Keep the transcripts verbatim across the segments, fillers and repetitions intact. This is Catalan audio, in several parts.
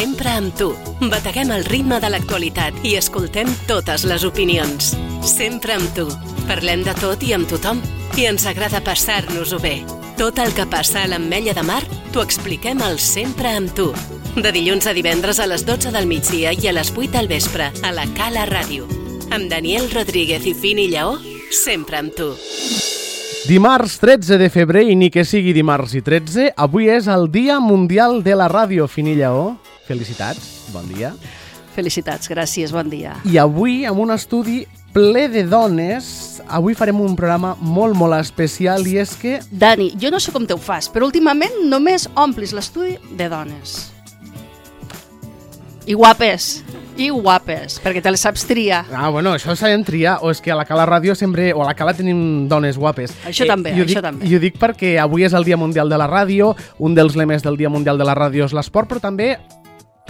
Sempre amb tu. Bateguem el ritme de l'actualitat i escoltem totes les opinions. Sempre amb tu. Parlem de tot i amb tothom. I ens agrada passar-nos-ho bé. Tot el que passa a l'Ametlla de Mar t'ho expliquem al Sempre amb tu. De dilluns a divendres a les dotze del migdia i a les vuit del vespre a la Cala Ràdio. Amb Daniel Rodríguez i Fini Lleó, sempre amb tu. Dimarts tretze de febrer, i ni que sigui dimarts i tretze, avui és el Dia Mundial de la Ràdio. Fini Lleó, felicitats, bon dia. Felicitats, gràcies, bon dia. I avui, amb un estudi ple de dones, avui farem un programa molt, molt especial, i és que... Dani, jo no sé com te ho fas, però últimament només omplis l'estudi de dones. I guapes, i guapes, perquè te les saps triar. Ah, bueno, això sabem triar, o és que a la Cala Ràdio sempre, o a la Cala tenim dones guapes. Això també, eh, això dic, també. I ho dic perquè avui és el Dia Mundial de la Ràdio, un dels lemes del Dia Mundial de la Ràdio és l'esport, però també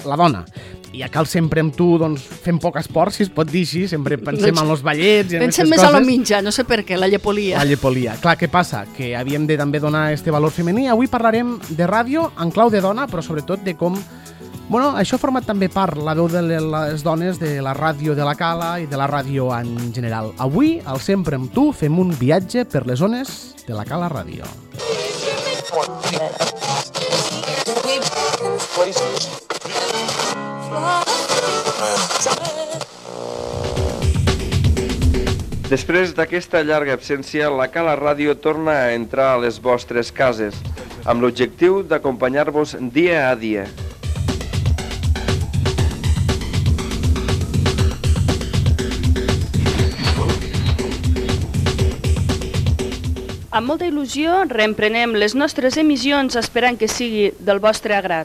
la dona. I a cal sempre amb tu, doncs, fem poc esport, si es pot dir així, sempre pensem en els ballets i en Pensem aquestes més coses. a lo mitjà, no sé per què, la llepolia. La llepolia. Clar, què passa? Que havíem de també donar este valor femení. Avui parlarem de ràdio en clau de dona, però sobretot de com... Bueno, això ha format també part la veu de les dones de la ràdio de la Cala i de la ràdio en general. Avui, al Sempre amb tu, fem un viatge per les zones de la Cala Ràdio. Després d'aquesta llarga absència, la Cala Ràdio torna a entrar a les vostres cases, amb l'objectiu d'acompanyar-vos dia a dia. Amb molta il·lusió reemprenem les nostres emissions esperant que sigui del vostre agrat.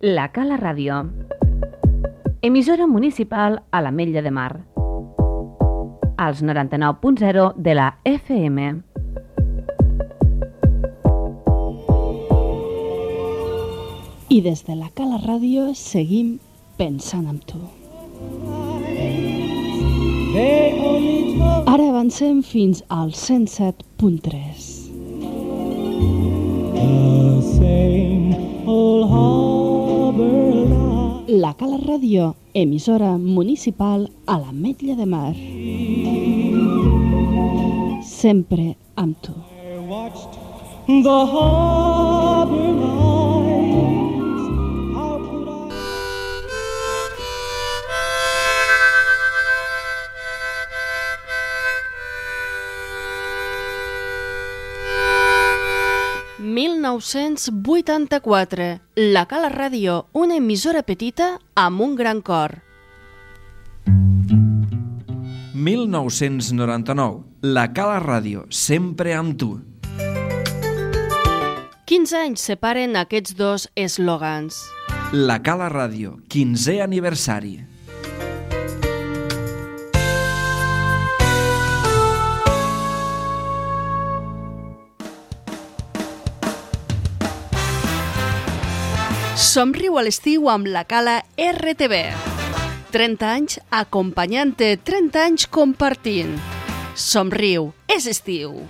La Cala Ràdio, emissora municipal a l'Ametlla de Mar, als noranta-nou punt zero de la F M. I des de la Cala Ràdio seguim pensant en tu. Ara avancem fins al cent set punt tres. La Cala Ràdio, emissora municipal a l'Ametlla de Mar. Sempre amb tu. mil nou-cents vuitanta-quatre. La Cala Ràdio, una emissora petita amb un gran cor. mil nou-cents noranta-nou. La Cala Ràdio, sempre amb tu. quinze anys separen aquests dos eslògans. La Cala Ràdio, quinzè aniversari. Somriu a l'estiu amb la Cala R T V. trenta anys acompanyant-te, trenta anys compartint. Somriu, és estiu.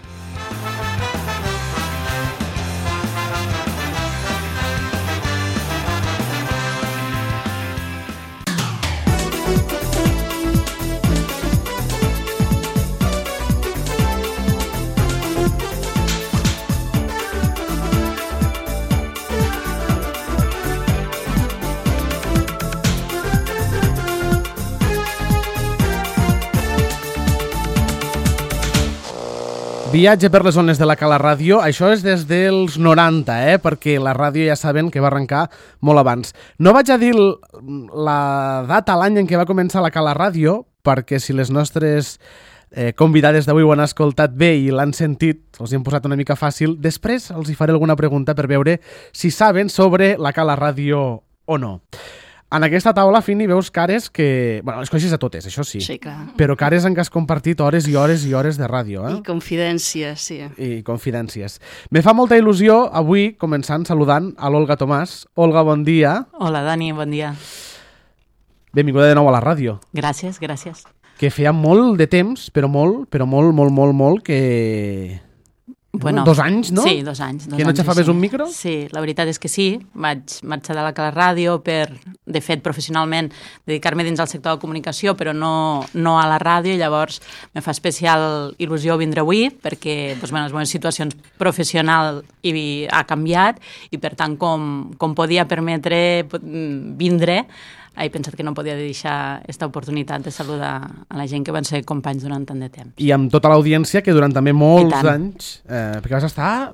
Viatge per les zones de la Cala Ràdio, això és des dels noranta, eh? Perquè la ràdio ja saben que va arrencar molt abans. No vaig a dir la data, l'any en què va començar la Cala Ràdio, perquè si les nostres eh, convidades d'avui ho han escoltat bé i l'han sentit, els hi hem posat una mica fàcil, després els hi faré alguna pregunta per veure si saben sobre la Cala Ràdio o no. En aquesta taula, Fini, veus cares que... Bueno, les coneixes a totes, això sí. Sí, clar. Però cares en què has compartit hores i hores i hores de ràdio, eh? I confidències, sí. I confidències. Me fa molta il·lusió avui, començant saludant a l'Olga Tomàs. Olga, bon dia. Hola, Dani, bon dia. Benvinguda de nou a la ràdio. Gràcies, gràcies. que feia molt de temps, però molt, però molt, molt, molt, molt, que... Bueno, dos anys, no? Sí, dos anys. Dos que no anys, xafaves sí. un micro? Sí, la veritat és que sí. Vaig marxar de la Cala Ràdio per, de fet, professionalment, dedicar-me dins del sector de la comunicació, però no, no a la ràdio, i llavors me fa especial il·lusió vindre avui, perquè doncs, bueno, les meves situacions professionals hi ha canviat, i per tant, com, com podia permetre vindre, he pensat que no podia deixar aquesta oportunitat de saludar a la gent que van ser companys durant tant de temps. I amb tota l'audiència, que durant també molts anys, eh, perquè vas estar...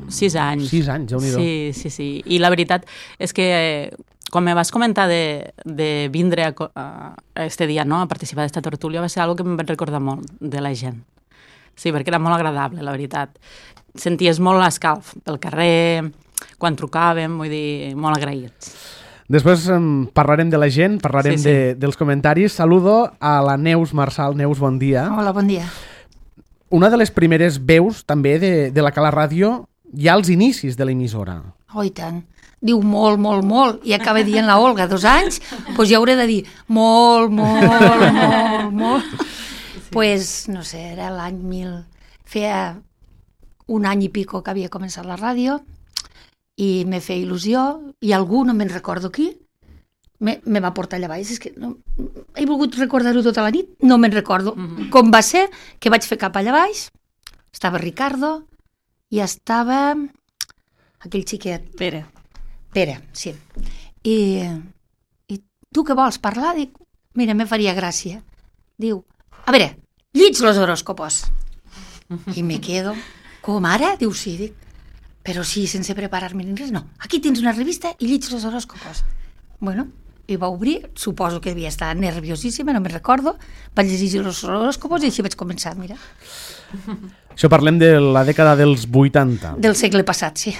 Sis anys. Sis anys, déu-n'hi-do. Sí, sí, sí. I la veritat és que eh, quan me vas comentar de, de vindre a, a este dia, no?, a participar d'esta tertúlia, va ser una que em vaig recordar molt de la gent. Sí, perquè era molt agradable, la veritat. Senties molt l'escalf pel carrer, quan trucàvem, vull dir, molt agraïts. Després um, parlarem de la gent, parlarem sí, sí. De, dels comentaris. Saludo a la Neus Marçal. Neus, bon dia. Hola, bon dia. Una de les primeres veus també de, de la Cala Ràdio ja als inicis de l'emissora. Oh, i tant. Diu molt, molt, molt. I acaba dient la Olga, dos anys, doncs ja hauré de dir molt, molt, molt, molt. Doncs, pues, no sé, era l'any mil... Feia un any i pico que havia començat la ràdio, i me feia il·lusió, i algú, no me'n recordo qui, me, me va portar allà baix. És que no, he volgut recordar-ho tota la nit, no me'n recordo. Mm-hmm. Com va ser que vaig fer cap allà baix, estava Ricardo, i estava aquell xiquet. Pere. Pere, sí. I, i tu què vols parlar? Dic, mira, me faria gràcia. Diu, a veure, llits los horòscopos. I me quedo, com ara? Diu, sí, dic, però sí, sense preparar-me ni res, no. Aquí tens una revista i llits los horòscopos. Bueno, i va obrir, suposo que devia estar nerviosíssima, no me'n recordo, vaig llegir els horòscopos i així vaig començar, mira. Això parlem de la dècada dels vuitanta. Del segle passat, sí.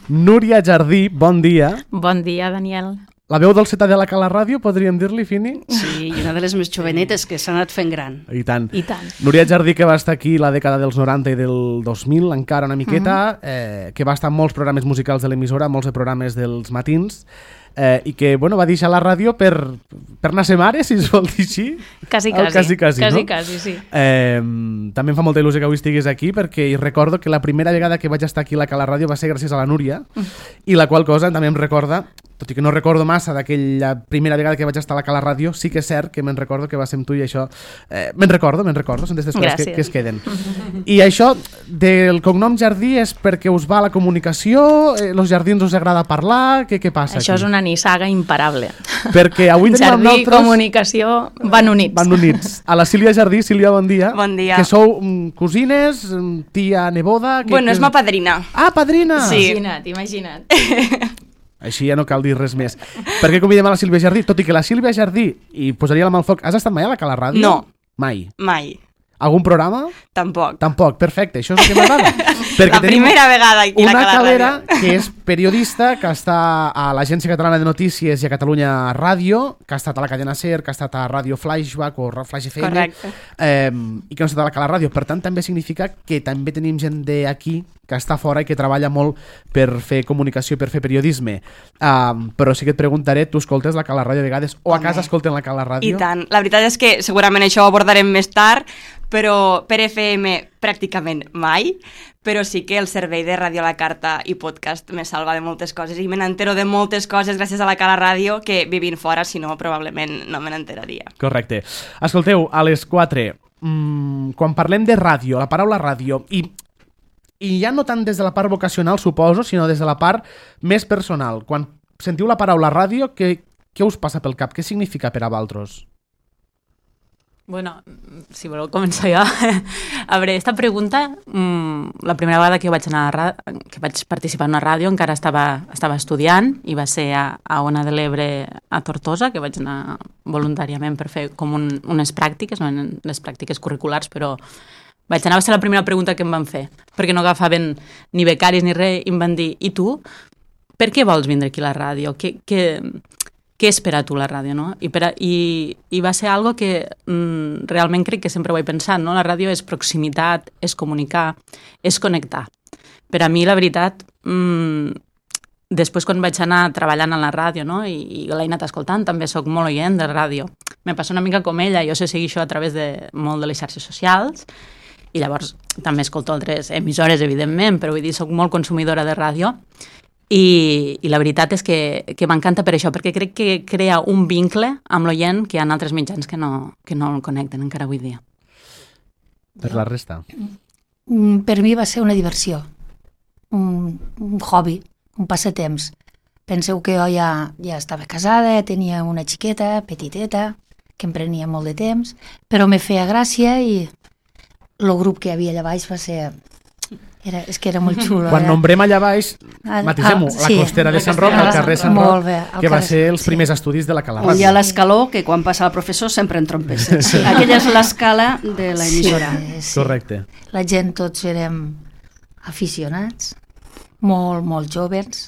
Núria Jardí, bon dia. Bon dia, Daniel. La veu dolceta de la Cala Ràdio, podríem dir-li, Fini? Sí, i una de les més jovenetes que s'ha anat fent gran. I tant. I tant. Núria Jardí, que va estar aquí la dècada dels noranta i del dos mil, encara una miqueta, uh-huh. eh, que va estar en molts programes musicals de l'emissora, molts de programes dels matins, eh, i que, bueno, va deixar la ràdio per, per anar a ser mare, si es vol dir així. Quasi, quasi. Quasi, quasi, quasi, no? quasi, sí. Eh, també em fa molta il·lusió que avui estigués aquí, perquè recordo que la primera vegada que vaig estar aquí a la Cala Ràdio va ser gràcies a la Núria, uh-huh. i la qual cosa també em recorda, tot i que no recordo massa d'aquella primera vegada que vaig estar a la Cala Ràdio, sí que és cert que me'n recordo que va ser amb tu i això... Eh, me'n recordo, me'n recordo, són d'aquestes coses que, que es queden. I això del cognom Jardí és perquè us va a la comunicació, eh, los jardins us agrada parlar, què, què passa Això aquí? és una nissaga imparable. Perquè avui tenim amb Jardí i nosaltres... comunicació van units. Van units. A la Sílvia Jardí. Sílvia, bon dia. Bon dia. Que sou um, cosines, um, tia, neboda... Que, bueno, que... és ma padrina. Ah, padrina! Sí. Imagina't, imagina't. Així ja no cal dir res més. Per què convidem a la Sílvia Jardí? Tot i que la Sílvia Jardí, i posaria la mà al foc, has estat mai a la Cala Ràdio? No. Mai. Mai. Algun programa? Tampoc. Tampoc, perfecte, això és el que m'agrada. La primera vegada aquí a la Cala Ràdio. Una calera que és periodista, que està a l'Agència Catalana de Notícies i a Catalunya Ràdio, que ha estat a la cadena SER, que ha estat a Ràdio Flashback o Flash F M, correcte. Eh, i que no ha estat a la Cala Ràdio. Per tant, també significa que també tenim gent d'aquí que està fora i que treballa molt per fer comunicació, per fer periodisme. Um, però sí que et preguntaré, tu escoltes la Cala Ràdio a vegades o a Home. casa escolten la Cala Ràdio? I tant. La veritat és que segurament això ho abordarem més tard, però per F M pràcticament mai, però sí que el servei de Ràdio a la Carta i podcast me salva de moltes coses i me n'entero de moltes coses gràcies a la Cala Ràdio que vivint fora, si no, probablement no me n'enteraria. Correcte. Escolteu, a les quatre, mmm, quan parlem de ràdio, la paraula ràdio, i, i ja no tant des de la part vocacional, suposo, sinó des de la part més personal. Quan sentiu la paraula ràdio, què, què us passa pel cap? Què significa per a vosaltres? Bueno, si voleu començar jo. A veure, esta pregunta, mmm, la primera vegada que vaig anar a ràdio, que vaig participar en una ràdio, encara estava, estava estudiant i va ser a, a Ona de l'Ebre a Tortosa, que vaig anar voluntàriament per fer com un, unes pràctiques, no eren les pràctiques curriculars, però vaig anar, va ser la primera pregunta que em van fer, perquè no agafaven ni becaris ni res, i em van dir, i tu, per què vols vindre aquí a la ràdio? Què... què què és per a tu la ràdio, no? I, per a, i, i va ser algo que mm, realment crec que sempre ho he pensat, no? La ràdio és proximitat, és comunicar, és connectar. Per a mi, la veritat, mm, després quan vaig anar treballant a la ràdio, no? I, i l'he anat escoltant, també sóc molt oient de ràdio, me passa una mica com ella, jo sé seguir això a través de molt de les xarxes socials, i llavors també escolto altres emissores, evidentment, però vull dir, soc molt consumidora de ràdio, i, i la veritat és que, que m'encanta per això, perquè crec que crea un vincle amb l'oient que hi ha altres mitjans que no, que no el connecten encara avui dia. Per la resta? Per mi va ser una diversió, un, un hobby, un passatemps. Penseu que jo ja, ja estava casada, tenia una xiqueta, petiteta, que em prenia molt de temps, però me feia gràcia i el grup que hi havia allà baix va ser... Era, és que era molt xulo. Quan era... nombrem allà baix, matisem-ho, la sí, costera de Sant Roc, al carrer Sant Roc, bé, que va carrer, ser els sí. primers estudis de la Cala On hi ha Ràdio. l'escaló, que quan passa el professor sempre en trompes. Sí. Aquella és l'escala de l'emissora. Sí, sí. Correcte. La gent tots érem aficionats, molt, molt joves.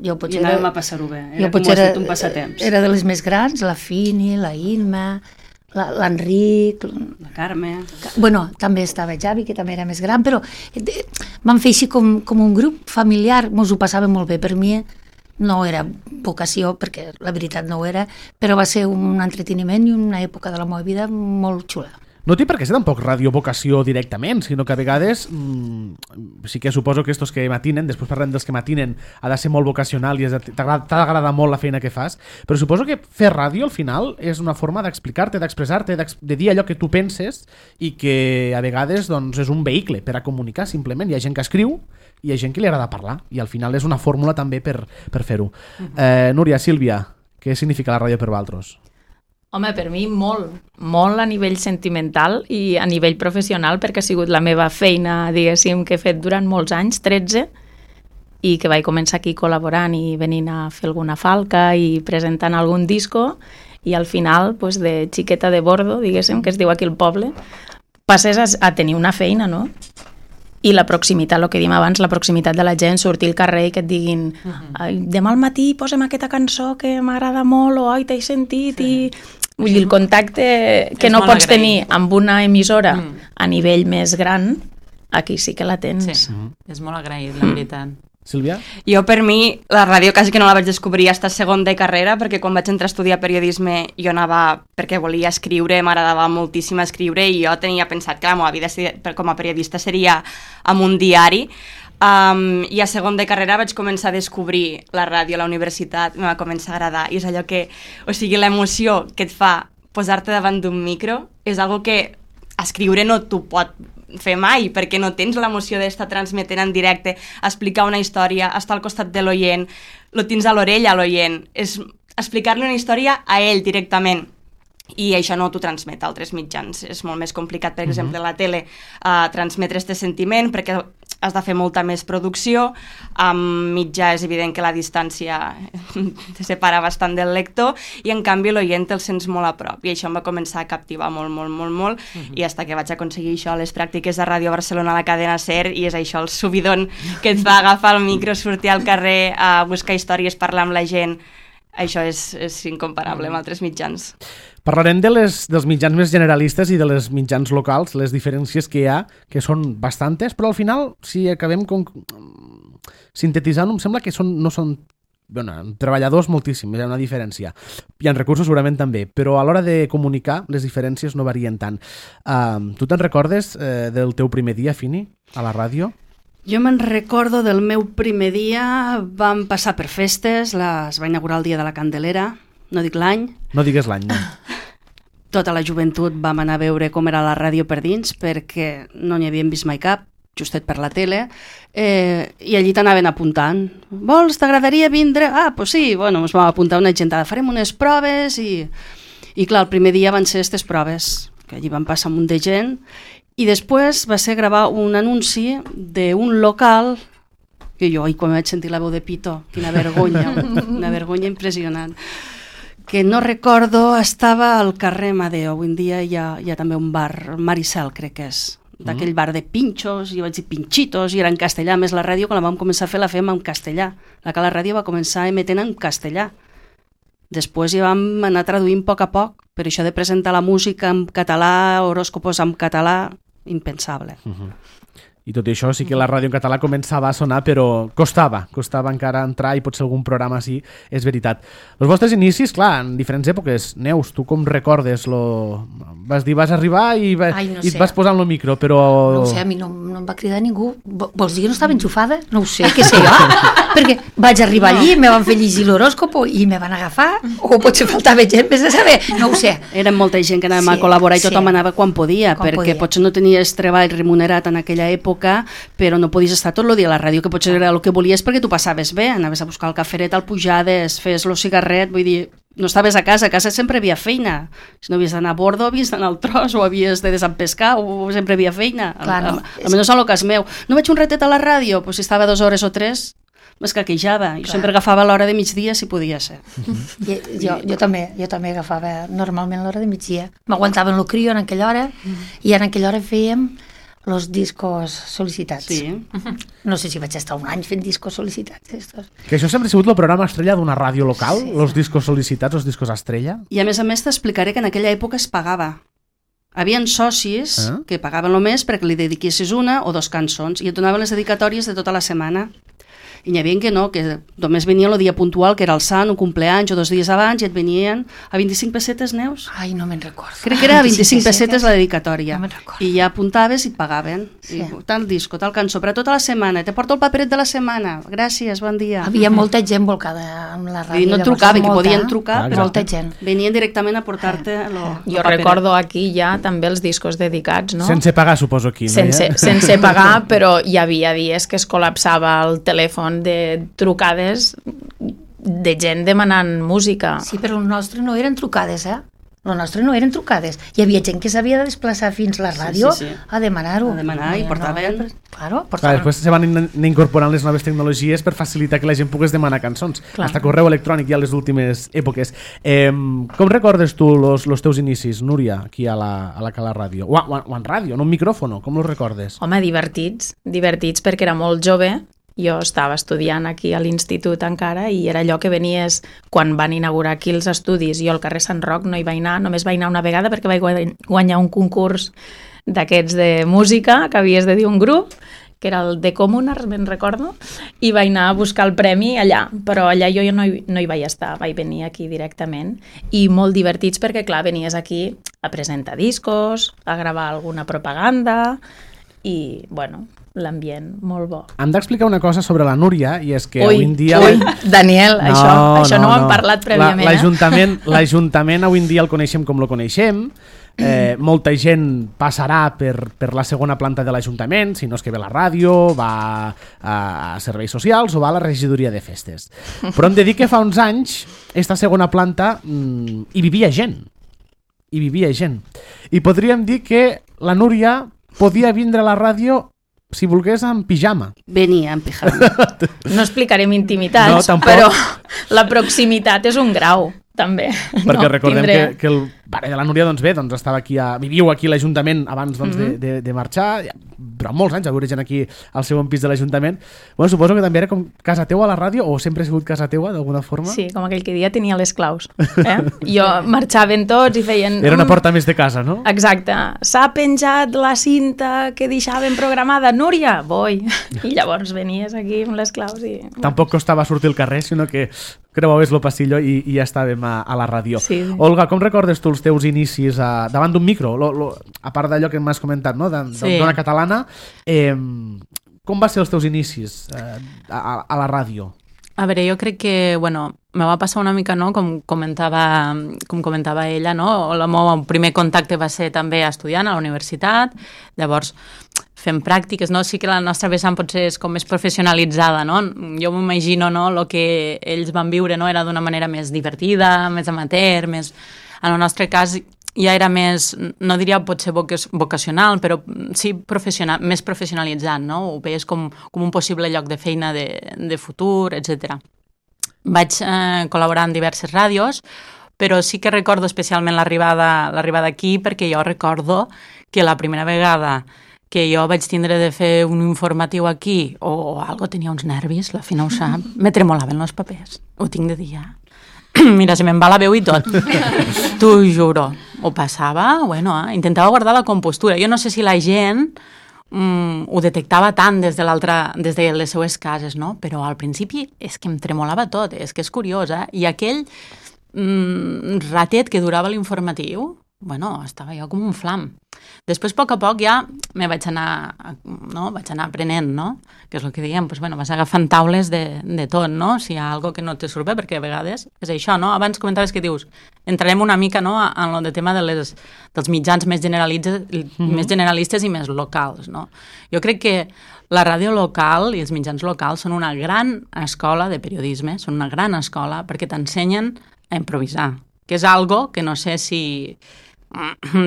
Jo potser I anàvem era, a passar-ho bé. jo Era, com potser has era, dit, un passatemps. era de les més grans, la Fini, la Inma, la- l'Enric... La Carme... Bueno, també estava Javi, que també era més gran, però eh, vam fer així com, com un grup familiar, mos ho passàvem molt bé. Per mi no era vocació, perquè la veritat no ho era, però va ser un entreteniment i una època de la meva vida molt xula. No té per què ser tampoc radiovocació directament, sinó que a vegades mmm, sí que suposo que estos que matinen, després parlem dels que matinen, ha de ser molt vocacional i és de- t'agrada t'ha d'agradar molt la feina que fas, però suposo que fer ràdio al final és una forma d'explicar-te, d'expressar-te, d'ex- de dir allò que tu penses i que a vegades doncs, és un vehicle per a comunicar simplement. Hi ha gent que escriu i hi ha gent que li agrada parlar i al final és una fórmula també per, per fer-ho. Eh, Núria, Sílvia, què significa la ràdio per vosaltres? Home, per mi molt, molt a nivell sentimental i a nivell professional, perquè ha sigut la meva feina, diguéssim, que he fet durant molts anys, tretze, i que vaig començar aquí col·laborant i venint a fer alguna falca i presentant algun disco, i al final, pues, de xiqueta de bordo, diguéssim, que es diu aquí el poble, passes a, a tenir una feina, no? I la proximitat, el que dèiem abans, la proximitat de la gent, sortir al carrer i que et diguin ai, demà al matí posem aquesta cançó que m'agrada molt, o ai, t'he sentit, sí. i... Vull dir, el contacte que És no molt pots agraït. tenir amb una emissora Mm. a nivell més gran, aquí sí que la tens. Sí, és molt agraït, la veritat. Sílvia? Jo, per mi, la ràdio quasi que no la vaig descobrir fins a segon de carrera, perquè quan vaig entrar a estudiar periodisme jo anava perquè volia escriure, m'agradava moltíssim escriure, i jo tenia pensat que la meva vida seria- per- com a periodista seria amb un diari. Um, I a segon de carrera vaig començar a descobrir la ràdio a la universitat, em va començar a agradar, i és allò que, o sigui, l'emoció que et fa posar-te davant d'un micro és algo que escriure no t'ho pot fer mai, perquè no tens l'emoció d'estar transmetent en directe, explicar una història, estar al costat de l'oient, lo tens a l'orella a l'oient, és explicar-li una història a ell directament. I això no t'ho transmet a altres mitjans. És molt més complicat, per exemple, a la tele, uh, transmetre este sentiment, perquè has de fer molta més producció. Amb mitjà és evident que la distància te separa bastant del lector, i en canvi l'oient el sents molt a prop. I això em va començar a captivar molt, molt, molt, molt, uh-huh. i fins que vaig aconseguir això a les pràctiques de Ràdio Barcelona a la cadena SER, i és això el subidon que et fa agafar el micro, sortir al carrer a buscar històries, parlar amb la gent. Això és, és incomparable amb altres mitjans. Parlarem de les, dels mitjans més generalistes i de les mitjans locals, les diferències que hi ha, que són bastantes, però al final, si acabem con... sintetitzant, em sembla que són, no són bueno, treballadors moltíssim, hi ha una diferència. Hi ha recursos segurament també, però a l'hora de comunicar les diferències no varien tant. Uh, tu te'n recordes uh, del teu primer dia, Fini, a la ràdio? Jo me'n recordo del meu primer dia, vam passar per festes, la, es va inaugurar el dia de la Candelera, no dic l'any. No digues l'any, no. Tota la joventut vam anar a veure com era la ràdio per dins, perquè no n'hi havíem vist mai cap, justet per la tele, eh, i allí t'anaven apuntant. Vols, t'agradaria vindre? Ah, doncs sí, bueno, ens vam apuntar una gentada, farem unes proves, i, i clar, el primer dia van ser aquestes proves, que allí van passar un munt de gent, i després va ser gravar un anunci d'un local que jo, i quan vaig sentir la veu de Pito, quina vergonya, una vergonya impressionant, que no recordo, estava al carrer Amadeo, avui en dia hi ha, hi ha també un bar, Maricel crec que és, d'aquell bar de pinxos, i vaig dir pinxitos, i era en castellà, més la ràdio, quan la vam començar a fer la fem en castellà, la que la ràdio va començar emetent en castellà. Després ja vam anar traduint a poc a poc, per això de presentar la música en català, horòscopos en català, impensable. Uh-huh. I tot i això sí que la ràdio en català començava a sonar, però costava, costava encara entrar i potser algun programa així, és veritat. Els vostres inicis, clar, en diferents èpoques. Neus, tu com recordes? Lo... Vas dir, vas arribar i, va... Ai, no i et sé. vas posar en el micro, però... No ho sé, a mi no, no em va cridar ningú. Vols dir que no estava enxufada? No ho sé, què sé jo? Perquè vaig arribar allí, me van fer llegir l'horòscopo i me van agafar, o potser faltava gent, vés a saber, no ho sé. Era molta gent que anàvem Sí, a col·laborar i tothom sí. anava quan podia, Quan perquè podia. potser no tenies treball remunerat en aquella època, però no podies estar tot el dia a la ràdio, que potser era el que volies perquè tu passaves bé, anaves a buscar el caferet al pujades, fes el cigarret, vull dir, no estaves a casa, a casa sempre havia feina. Si no havies d'anar a bordo, havies d'anar al tros, o havies de desempescar, o sempre havia feina. Claro. Almenys en el cas meu. No vaig un ratet a la ràdio, pues si estava dues hores o tres, m'escaquejava. Jo Clar. sempre agafava l'hora de migdia si podia ser. I, jo, jo també, jo també agafava normalment l'hora de migdia. M'aguantava en el crio en aquella hora i en aquella hora fèiem los discos sol·licitats. Sí. No sé si vaig estar un any fent discos sol·licitats. Estos. Que això sempre ha sigut el programa estrella d'una ràdio local, sí, els discos sol·licitats, els discos estrella. I a més a més t'explicaré que en aquella època es pagava. Havien socis Eh? que pagaven només perquè li dediquessis una o dos cançons i et donaven les dedicatòries de tota la setmana. I n'hi havia que no, que només venien el dia puntual, que era el sant, un compleanys o dos dies abans, i et venien a vint-i-cinc pessetes, Neus? Ai, no me'n recordo. Crec que era a vint-i-cinc pessetes la dedicatòria. No me'n recordo. I ja apuntaves i et pagaven. Sí. I tal disco, tal cançó, per a tota la setmana. Te porto el paperet de la setmana. Gràcies, bon dia. Havia molta gent volcada amb la ràdio. I no llavors, trucaven, que molta, podien trucar, Ah, però molta gent. venien directament a portar-te lo, Jo lo paperet. recordo aquí ja també els discos dedicats, no? Sense pagar, suposo, aquí. No? sense, Ja? sense pagar, però hi havia dies que es col·lapsava el telèfon de trucades de gent demanant música. Sí, però el nostre no eren trucades, eh? El nostre no eren trucades. Hi havia gent que s'havia de desplaçar fins a la ràdio sí, sí. a demanar-ho. A demanar i No, portaven- No, claro, Clar, portaven. després se van in- incorporant les noves tecnologies per facilitar que la gent pogués demanar cançons. Clar. Hasta correu electrònic ja a les últimes èpoques. Eh, com recordes tu los, los teus inicis, Núria, aquí a la, a la Cala Ràdio? O, o, o en ràdio, en un micròfono, com los recordes? Home, divertits, divertits perquè era molt jove. Jo estava estudiant aquí a l'institut encara i era allò que venies quan van inaugurar aquí els estudis. Jo al carrer Sant Roc no hi vaig anar, només vaig anar una vegada perquè vaig guany- guanyar un concurs d'aquests de música, que havies de dir un grup, que era el de Comunars, me'n recordo, i vaig anar a buscar el premi allà, però allà jo no hi, no hi vaig estar, vaig venir aquí directament, i molt divertits perquè, clar, venies aquí a presentar discos, a gravar alguna propaganda, i, bueno, l'ambient molt bo. Hem d'explicar una cosa sobre la Núria, i és que Ui, avui en dia... ui, Daniel, això, això no, ho hem parlat prèviament, la, eh? L'Ajuntament l'Ajuntament avui en dia el coneixem com lo coneixem, eh, molta gent passarà per, per la segona planta de l'Ajuntament, si no és que ve a la ràdio, va a, a serveis socials o va a la regidoria de festes. Però hem de dir que fa uns anys, esta segona planta, mmm, hi vivia gent. Hi vivia gent. I podríem dir que la Núria podia vindre a la ràdio si volgués en pijama. Venia en pijama. No explicarem intimitats, No, tampoc. però la proximitat és un grau, també. Perquè no, recordem tindré... que, que el pare de la Núria doncs bé, doncs estava aquí a, viviu aquí a l'Ajuntament abans doncs, mm -hmm. de, de, de marxar, ja, durant molts anys a veure gent aquí al segon pis de l'Ajuntament. Bueno, suposo que també era com casa teua a la ràdio, o sempre ha sigut casa teua d'alguna forma? Sí, com aquell que dia tenia les claus. Eh? Jo marxaven tots i feien... Era una "Mm, porta més de casa, no? Exacte. S'ha penjat la cinta que deixaven programada. Núria, voi. I llavors venies aquí amb les claus i... Tampoc costava sortir al carrer, sinó que creuaves el passillo i, i ja estàvem a, a la ràdio. Sí, sí. Olga, com recordes tu els teus inicis a, davant d'un micro? Lo, lo, a part d'allò que m'has comentat, no? De, Sí. D'una catalana, eh, com va ser els teus inicis eh, a, a la ràdio? A veure, jo crec que, bueno, me va passar una mica, no?, com comentava, com comentava ella, no?, el meu primer contacte va ser també estudiant a la universitat, llavors fem pràctiques, no?, sí que la nostra vessant potser és com més professionalitzada, no?, jo m'imagino, no?, el que ells van viure, no?, era d'una manera més divertida, més amateur, més... En el nostre cas ja era més, no diria potser vocacional, però sí professional, més professionalitzat, no? Ho veies com, com un possible lloc de feina de, de futur, etcètera. Vaig eh, col·laborar en diverses ràdios, però sí que recordo especialment l'arribada l'arribada aquí, perquè jo recordo que la primera vegada que jo vaig tindre de fer un informatiu aquí, o, o algo, tenia uns nervis, la Fina ho sap, me tremolaven els papers, ho tinc de dir ja. Mira, se me'n va la veu i tot. T'ho juro. Ho passava, bueno, eh? Intentava guardar la compostura. Jo no sé si la gent mm, ho detectava tant des de l'altra, des de les seues cases, no? Però al principi és que em tremolava tot, és que és curiós, eh? I aquell mm, ratet que durava l'informatiu, bueno, estava jo com un flam. Després, a poc a poc, ja me vaig anar, no? vaig anar aprenent, no? Que és el que diem, pues, bueno, vas agafant taules de, de tot, no? Si hi ha alguna que no te surt bé, perquè a vegades és això, no? Abans comentaves que dius, entrarem una mica, no?, en el tema de les, dels mitjans més generalistes, mm-hmm. més generalistes i més locals, no? Jo crec que la ràdio local i els mitjans locals són una gran escola de periodisme, són una gran escola perquè t'ensenyen a improvisar, que és algo que no sé si...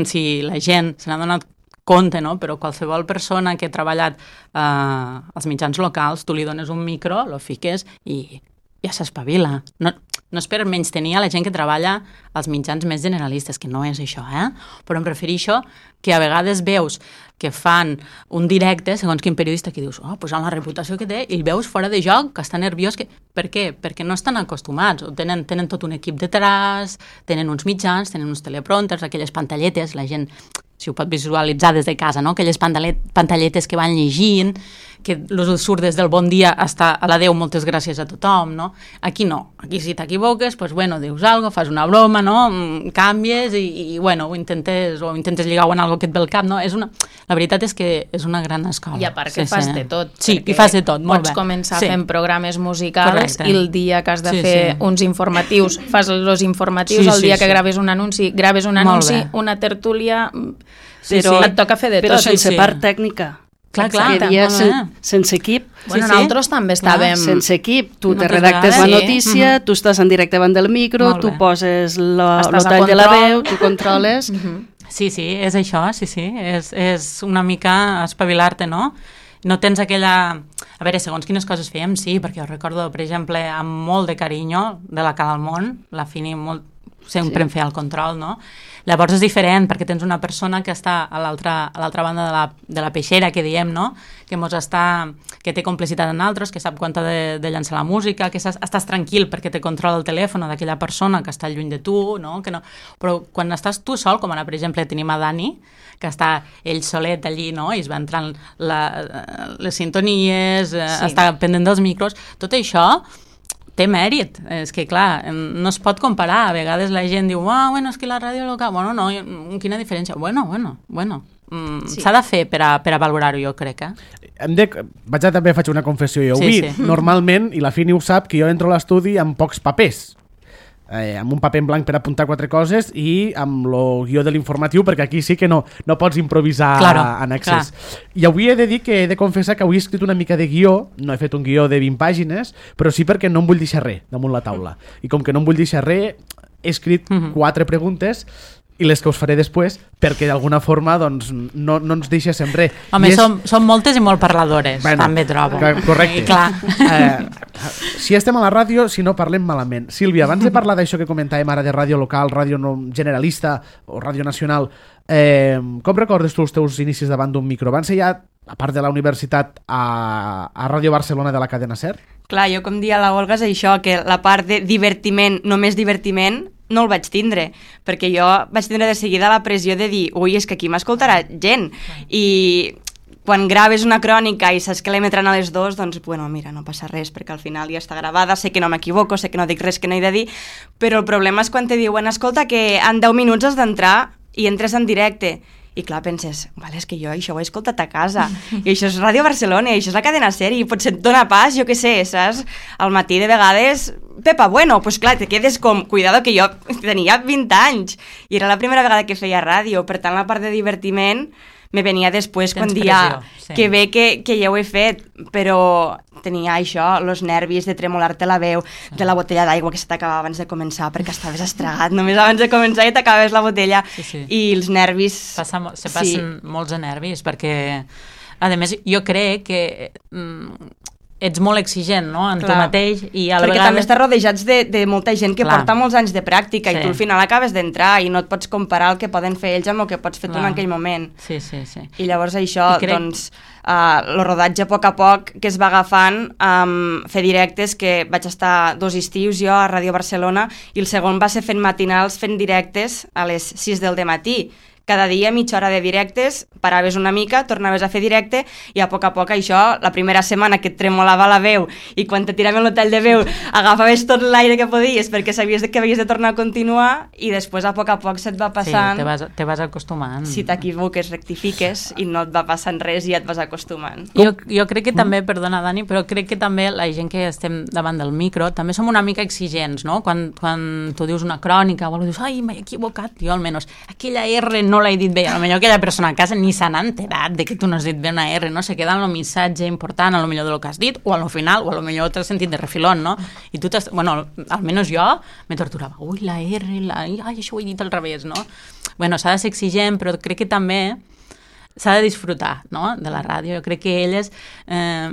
si la gent se n'ha donat compte, no? Però qualsevol persona que ha treballat eh, als mitjans locals, tu li dones un micro, lo fiques i ja s'espavila. No, no és per menys tenir a la gent que treballa als mitjans més generalistes, que no és això, eh? Però em refereixo que a vegades veus que fan un directe, segons quin periodista, que dius, oh, pues amb la reputació que té, i el veus fora de joc, que està nerviós. Que... Per què? Perquè no estan acostumats. Tenen, tenen tot un equip detrás, tenen uns mitjans, tenen uns teleprompters, aquelles pantalletes, la gent, si ho pot visualitzar des de casa, no? Aquelles pantalletes que van llegint, que els surt des del bon dia hasta a l'adeu, moltes gràcies a tothom, no? Aquí no. Aquí si t'equivoques, pues bueno, dius alguna cosa, fas una broma, no? Canvies i, i bueno, ho intentes, o intentes lligar en algo que et ve al cap, no? És una... La veritat és que és una gran escola. I a part que sí, fas sí. de tot. Sí, i fas de tot, molt pots bé. Pots començar sí. fent programes musicals. Correcte. I el dia que has de sí, fer sí. uns informatius, fas els informatius, sí, el dia sí, que sí. graves un anunci, graves un anunci, una tertúlia... Sí, però, sí. Et toca fer de però tot. Però sense sí. part tècnica. Clar, clar. Seria sen, sense equip. Bueno, sí, sí. nosaltres també estàvem... Ah, sense equip. Tu Moltes te redactes vegades. la Sí. notícia, mm-hmm. tu estàs en directe davant del micro, tu poses la, el tall de la veu, tu controles... Mm-hmm. Sí, sí, és això, sí, sí. És, és una mica espavilar-te, no? No tens aquella... A veure, segons quines coses fèiem, sí, perquè jo recordo, per exemple, amb molt de carinyo, de la Cal al Món, la Fini molt... sempre sí. em feia el control, no? Llavors és diferent, perquè tens una persona que està a l'altra a l'altra banda de la, de la peixera, que diem, no? Que mos està, que té complicitat en altres, que sap quan t'ha de, de llançar la música, que estàs, estàs tranquil perquè te controla el telèfon d'aquella persona que està lluny de tu, no? Que no? Però quan estàs tu sol, com ara, per exemple, tenim a Dani, que està ell solet allí, no? I es va entrant la, les sintonies, sí. està pendent dels micros, tot això té mèrit, és que clar, no es pot comparar, a vegades la gent diu, ah, bueno, és que la ràdio local, bueno, no, quina diferència? Bueno, bueno, bueno, mm, sí. s'ha de fer per a, per a valorar-ho, jo crec, eh? Em de, vaig a també faig una confessió, jo sí, avui, sí. normalment, i la Fini ho sap, que jo entro a l'estudi amb pocs papers, eh, amb un paper en blanc per apuntar quatre coses i amb el guió de l'informatiu, perquè aquí sí que no, no pots improvisar claro, en accés. Clar. I avui he de dir que he de confessar que avui he escrit una mica de guió, no he fet un guió de vint pàgines, però sí perquè no em vull deixar res damunt la taula. I com que no em vull deixar res, he escrit mm-hmm. quatre preguntes i les que us faré després, perquè d'alguna forma doncs, no, no ens deixéssim res. Home, és... som, som moltes i molt parladores, bueno, també trobo. Correcte. I clar. Eh, si estem a la ràdio, si no parlem malament. Sílvia, abans de parlar d'això que comentàvem ara de ràdio local, ràdio no, generalista o ràdio nacional, eh, com recordes tu els teus inicis davant d'un micro? Van ser ja, a part de la universitat, a, a Ràdio Barcelona de la cadena SER? Clar, jo com dia la Olga és això, que la part de divertiment, només divertiment, no el vaig tindre, perquè jo vaig tindre de seguida la pressió de dir, ui, és que aquí m'escoltarà gent, i quan graves una crònica i saps que l'emetran a les dues, doncs, bueno, mira, no passa res, perquè al final ja està gravada, sé que no m'equivoco, sé que no dic res que no he de dir, però el problema és quan te diuen, escolta, que en deu minuts has d'entrar i entres en directe, i clar, penses, vale, és que jo això ho he escoltat a casa, i això és Ràdio Barcelona, i això és la cadena SER, i potser et dona pas, jo què sé, saps? Al matí de vegades, Pepa, bueno, pues clar, te quedes com, cuidado que jo tenia vint anys, i era la primera vegada que feia ràdio, per tant la part de divertiment me venia després quan dia sí. que bé que, que ja ho he fet, però tenia això, els nervis de tremolar-te la veu, sí. de la botella d'aigua que se t'acabava abans de començar perquè estaves estragat, només abans de començar i t'acabaves la botella, sí, sí. i els nervis... Passa, se passen sí. molts de nervis, perquè a més jo crec que mm, ets molt exigent, no?, en Clar. tu mateix, i a la perquè vegada... també estàs rodejats de, de molta gent que Clar. porta molts anys de pràctica sí. i tu al final acabes d'entrar i no et pots comparar el que poden fer ells amb el que pots fer Clar. tu en aquell moment. Sí, sí, sí. I llavors això, I crec... doncs, uh, el rodatge a poc a poc que es va agafant, um, fer directes, que vaig estar dos estius jo a Ràdio Barcelona, i el segon va ser fent matinals, fent directes a les sis del dematí, cada dia mitja hora de directes, paraves una mica, tornaves a fer directe i a poc a poc això, la primera setmana que et tremolava la veu i quan te tiraven l'hotel de veu agafaves tot l'aire que podies perquè sabies que havies de tornar a continuar i després a poc a poc se't va passant. Sí, te vas, te vas acostumant. Si t'equivoques, rectifiques i no et va passant res i ja et vas acostumant. Jo, jo crec que també, perdona Dani, però crec que també la gent que estem davant del micro també som una mica exigents, no? Quan, quan tu dius una crònica o algú dius, ai, m'he equivocat, jo almenys aquella R no l'he dit bé, potser aquella persona a casa ni s'han enterat de que tu no has dit bé una R, no? Se queda en el missatge important, a lo millor del que has dit, o al final, o a lo millor t'has sentit de refilón, no? I tu t'has, bueno, almenys jo me torturava, ui, la R, la... ai, això ho he dit al revés, no? Bueno, s'ha de ser exigent, però crec que també s'ha de disfrutar, no?, de la ràdio. Jo crec que elles eh,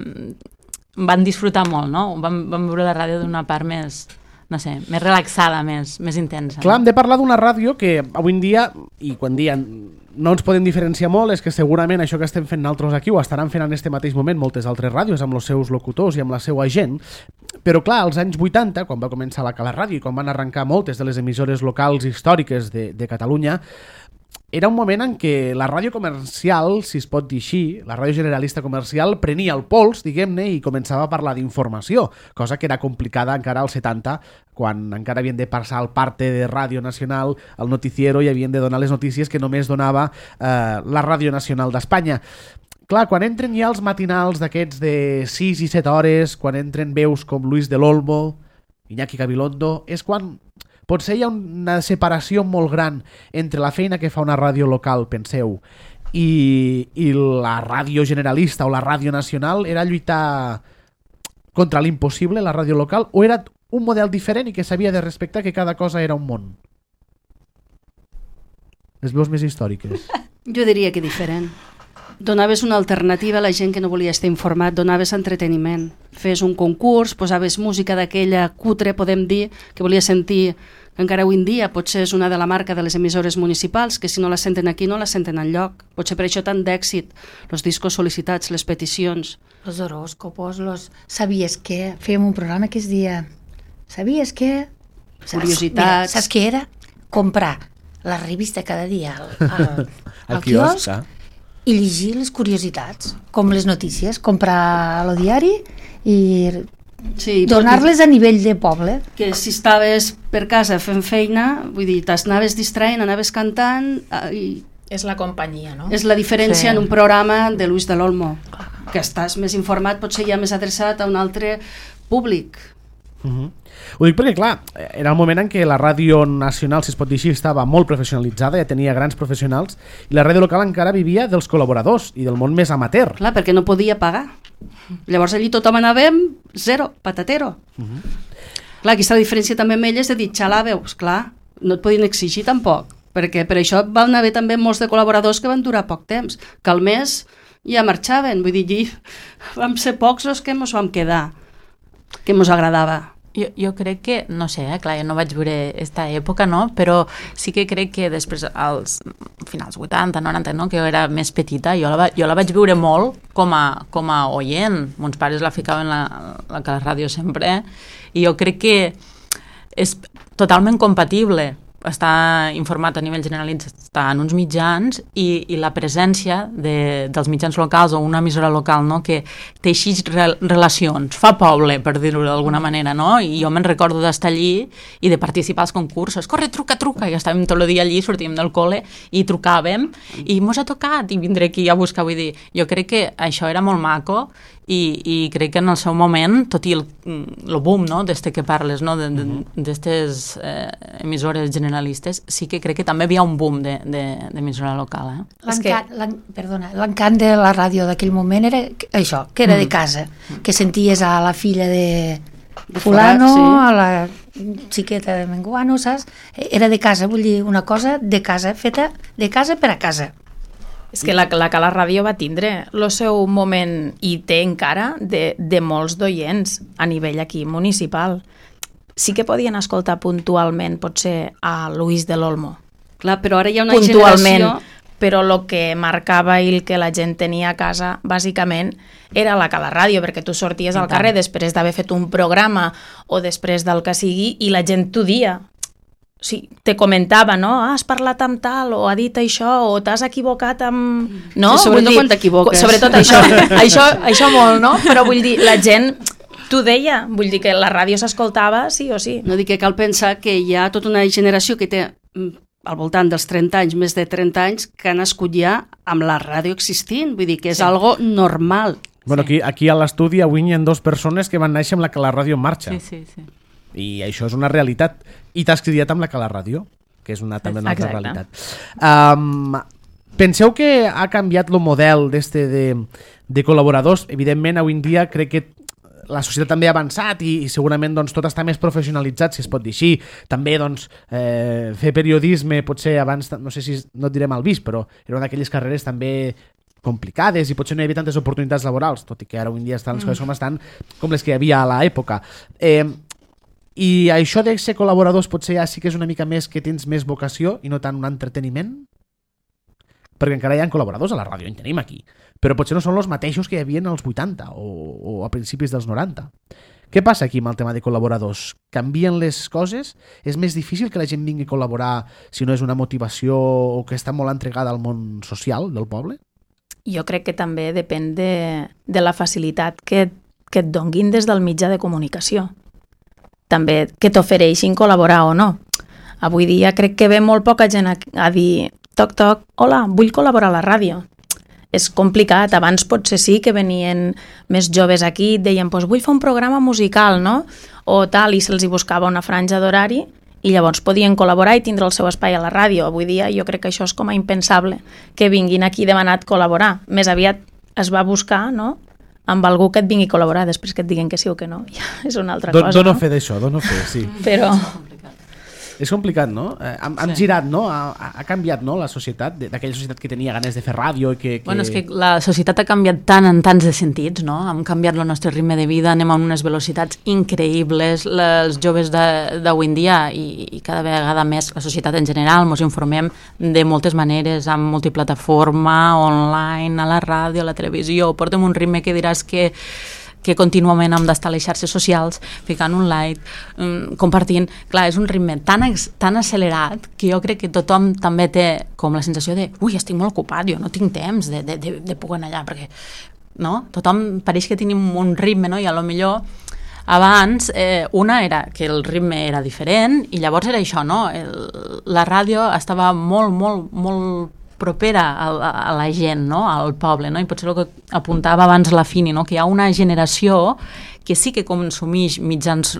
van disfrutar molt, no? Van, van veure la ràdio d'una part més, no sé, més relaxada, més, més intensa. Clar, hem de parlar d'una ràdio que avui en dia, i quan dien no ens podem diferenciar molt, és que segurament això que estem fent nosaltres aquí ho estaran fent en este mateix moment moltes altres ràdios amb els seus locutors i amb la seva gent, però clar, als anys vuitanta, quan va començar la Cala Ràdio i quan van arrencar moltes de les emissores locals històriques de, de Catalunya, era un moment en què la ràdio comercial, si es pot dir així, la ràdio generalista comercial prenia el pols, diguem-ne, i començava a parlar d'informació, cosa que era complicada encara als setanta, quan encara havien de passar al parte de Ràdio Nacional, al noticiero, i havien de donar les notícies que només donava eh, la Ràdio Nacional d'Espanya. Clar, quan entren ja els matinals d'aquests de sis i set hores, quan entren veus com Luis del Olmo, Iñaki Gabilondo, és quan potser hi ha una separació molt gran entre la feina que fa una ràdio local, penseu, i, i la ràdio generalista o la ràdio nacional. Era lluitar contra l'impossible, la ràdio local, o era un model diferent i que s'havia de respectar, que cada cosa era un món? Les veus més històriques. Jo diria que diferent. Donaves una alternativa a la gent que no volia estar informat, donaves entreteniment. Fes un concurs, posaves música d'aquella cutre, podem dir, que volia sentir, que encara avui en dia potser és una de la marca de les emissores municipals, que si no la senten aquí no la senten enlloc. Potser per això tant d'èxit, els discos sol·licitats, les peticions. Los horòscopos, los... Sabies què? Fèiem un programa que es dia... Sabies què? Curiositats. Mira, saps què era? Comprar la revista cada dia al, al, al quiosc, quiosc i llegir les curiositats, com les notícies, comprar el diari i sí, donar-les a nivell de poble. Que si estaves per casa fent feina, vull dir, t'anaves distraent, anaves cantant i... És la companyia, no? És la diferència sí. En un programa de Luis del Olmo, que estàs més informat, potser ja més adreçat a un altre públic. Uh-huh. Ho dic perquè, clar, era el moment en què la ràdio nacional, si es pot dir així, estava molt professionalitzada, ja tenia grans professionals, i la ràdio local encara vivia dels col·laboradors i del món més amateur. Clar, perquè no podia pagar. Llavors allí tothom anàvem zero, patatero. Uh-huh. Clar, aquesta diferència també amb elles de dir, xalàveu, clar, no et podien exigir tampoc, perquè per això van haver també molts de col·laboradors que van durar poc temps, que al mes ja marxaven, vull dir, vam ser pocs els que ens vam quedar, que ens agradava. Jo, jo crec que, no sé, eh, clar, jo no vaig veure aquesta època, no? Però sí que crec que després, als finals vuitanta, noranta, no? Que jo era més petita, jo la, jo la vaig veure molt com a, com a oient. Mons pares la ficaven la, la, la ràdio sempre, i jo crec que és totalment compatible estar informat a nivell generalitzat en uns mitjans i, i la presència de, dels mitjans locals o una emissora local, no? Que teixeix re, relacions, fa poble, per dir-ho d'alguna manera, no? I jo me'n recordo d'estar allí i de participar als concursos, corre, truca, truca, i estàvem tot el dia allí, sortíem del col·le i trucàvem i mos ha tocat i vindré aquí a buscar, vull dir, jo crec que això era molt maco i, i crec que en el seu moment, tot i el, el boom, no? D'este que parles, no? D'estes eh, emissores generalistes, sí que crec que també hi havia un boom d'emissora local. Eh? L'encant, que... perdona, l'encant de la ràdio d'aquell moment era això, que era mm. de casa, que senties a la filla de, de fulano, sí. A la xiqueta de menguano, saps? Era de casa, vull dir, una cosa de casa, feta de casa per a casa. És que la, la Cala Ràdio va tindre el seu moment, i té encara, de, de molts d'oients a nivell aquí municipal. Sí que podien escoltar puntualment, potser, a Luis del Olmo. Clar, però ara hi ha una puntualment, generació... però el que marcava i el que la gent tenia a casa, bàsicament, era la Cala Ràdio, perquè tu sorties al carrer després d'haver fet un programa o després del que sigui, i la gent t'ho dia. sí, te comentava, no? Ah, has parlat amb tal, o ha dit això, o t'has equivocat amb... No? Sí, sobretot dir, quan t'equivoques. Sobretot això, això, això molt, no? Però vull dir, la gent t'ho deia, vull dir que la ràdio s'escoltava sí o sí. No dic que cal pensar que hi ha tota una generació que té al voltant dels trenta anys, més de trenta anys, que ha nascut ja amb la ràdio existint, vull dir que és sí. algo normal. Bueno, aquí, aquí a l'estudi avui hi ha dues persones que van néixer amb la que la ràdio en marxa. Sí, sí, sí. I això és una realitat. I t'has criat amb la que la ràdio, que és una, també una altra Exacte. realitat. Um, penseu que ha canviat el model d'este de, de col·laboradors? Evidentment, avui en dia crec que la societat també ha avançat i, i segurament doncs, tot està més professionalitzat, si es pot dir així. També doncs, eh, fer periodisme, potser abans, no sé si no et diré mal vist, però era una d'aquelles carreres també complicades i potser no hi havia tantes oportunitats laborals, tot i que ara avui en dia estan les coses com estan, com les que hi havia a l'època. Eh, I això de ser col·laboradors potser ja sí que és una mica més que tens més vocació i no tant un entreteniment? Perquè encara hi ha col·laboradors a la ràdio, en tenim aquí, però potser no són els mateixos que hi havia als vuitanta o, o a principis dels noranta. Què passa aquí amb el tema de col·laboradors? Canvien les coses? És més difícil que la gent vingui a col·laborar si no és una motivació o que està molt entregada al món social del poble? Jo crec que també depèn de, de la facilitat que, que et donguin des del mitjà de comunicació. També que t'ofereixin col·laborar o no. Avui dia crec que ve molt poca gent a, a dir toc, toc, hola, vull col·laborar a la ràdio. És complicat, abans potser sí que venien més joves aquí i et deien pues vull fer un programa musical, no? O tal, i se'ls hi buscava una franja d'horari i llavors podien col·laborar i tindre el seu espai a la ràdio. Avui dia jo crec que això és com a impensable, que vinguin aquí demanat col·laborar. Més aviat es va buscar, no?, amb algú que et vingui a col·laborar, després que et diguen que sí o que no, ja és una altra Don, cosa. Dono no? fe d'això, dono fe, sí. Però... És complicat, no? Eh, hem, hem Sí. girat, no? Ha, ha canviat, no?, la societat, d'aquella societat que tenia ganes de fer ràdio i que... que... Bueno, és que la societat ha canviat tant en tants de sentits, no? Hem canviat el nostre ritme de vida, anem a unes velocitats increïbles, els joves d'avui en dia i, i cada vegada més la societat en general, ens informem de moltes maneres, amb multiplataforma, online, a la ràdio, a la televisió, portem un ritme que diràs que que contínuament hem d'estar a les xarxes socials, ficant un like, um, compartint. Clar, és un ritme tan, tan accelerat que jo crec que tothom també té com la sensació de ui, estic molt ocupat, jo no tinc temps de, de, de, de poder anar allà, perquè no? Tothom pareix que tenim un ritme, no? I a lo millor abans eh, una era que el ritme era diferent i llavors era això, no? El, la ràdio estava molt, molt, molt propera a, a la gent, no? Al poble, no? I potser el que apuntava abans la Fini, no? Que hi ha una generació que sí que consumeix mitjans,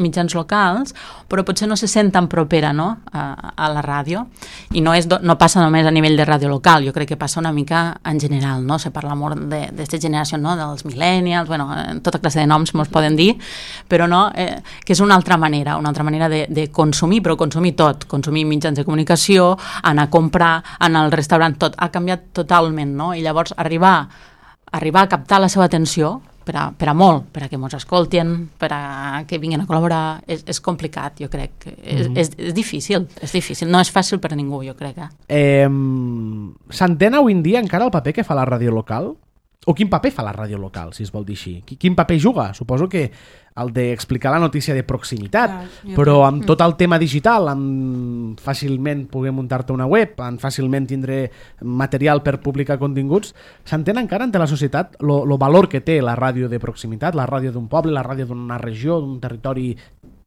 mitjans locals, però potser no se sent tan propera, no? a, a la ràdio. I no, és, no passa només a nivell de ràdio local, jo crec que passa una mica en general, no? Se parla molt d'aquesta generació, no? Dels millennials, bueno, tota classe de noms mos poden dir, però no, eh, que és una altra manera, una altra manera de, de consumir, però consumir tot, consumir mitjans de comunicació, anar a comprar, anar al restaurant, tot, ha canviat totalment, no? I llavors arribar, arribar a captar la seva atenció per a, per a molt, per a que ens escoltin, per a que vinguin a col·laborar, és, és complicat, jo crec. És, mm-hmm. és, és difícil, és difícil. No és fàcil per a ningú, jo crec. Eh? Eh, S'entén avui en dia encara el paper que fa la ràdio local? O quin paper fa la ràdio local, si es vol dir així? Quin paper juga? Suposo que el d'explicar la notícia de proximitat, ah, però amb tot el tema digital, amb fàcilment poder muntar-te una web, amb fàcilment tindre material per publicar continguts, s'entén encara entre la societat el valor que té la ràdio de proximitat, la ràdio d'un poble, la ràdio d'una regió, d'un territori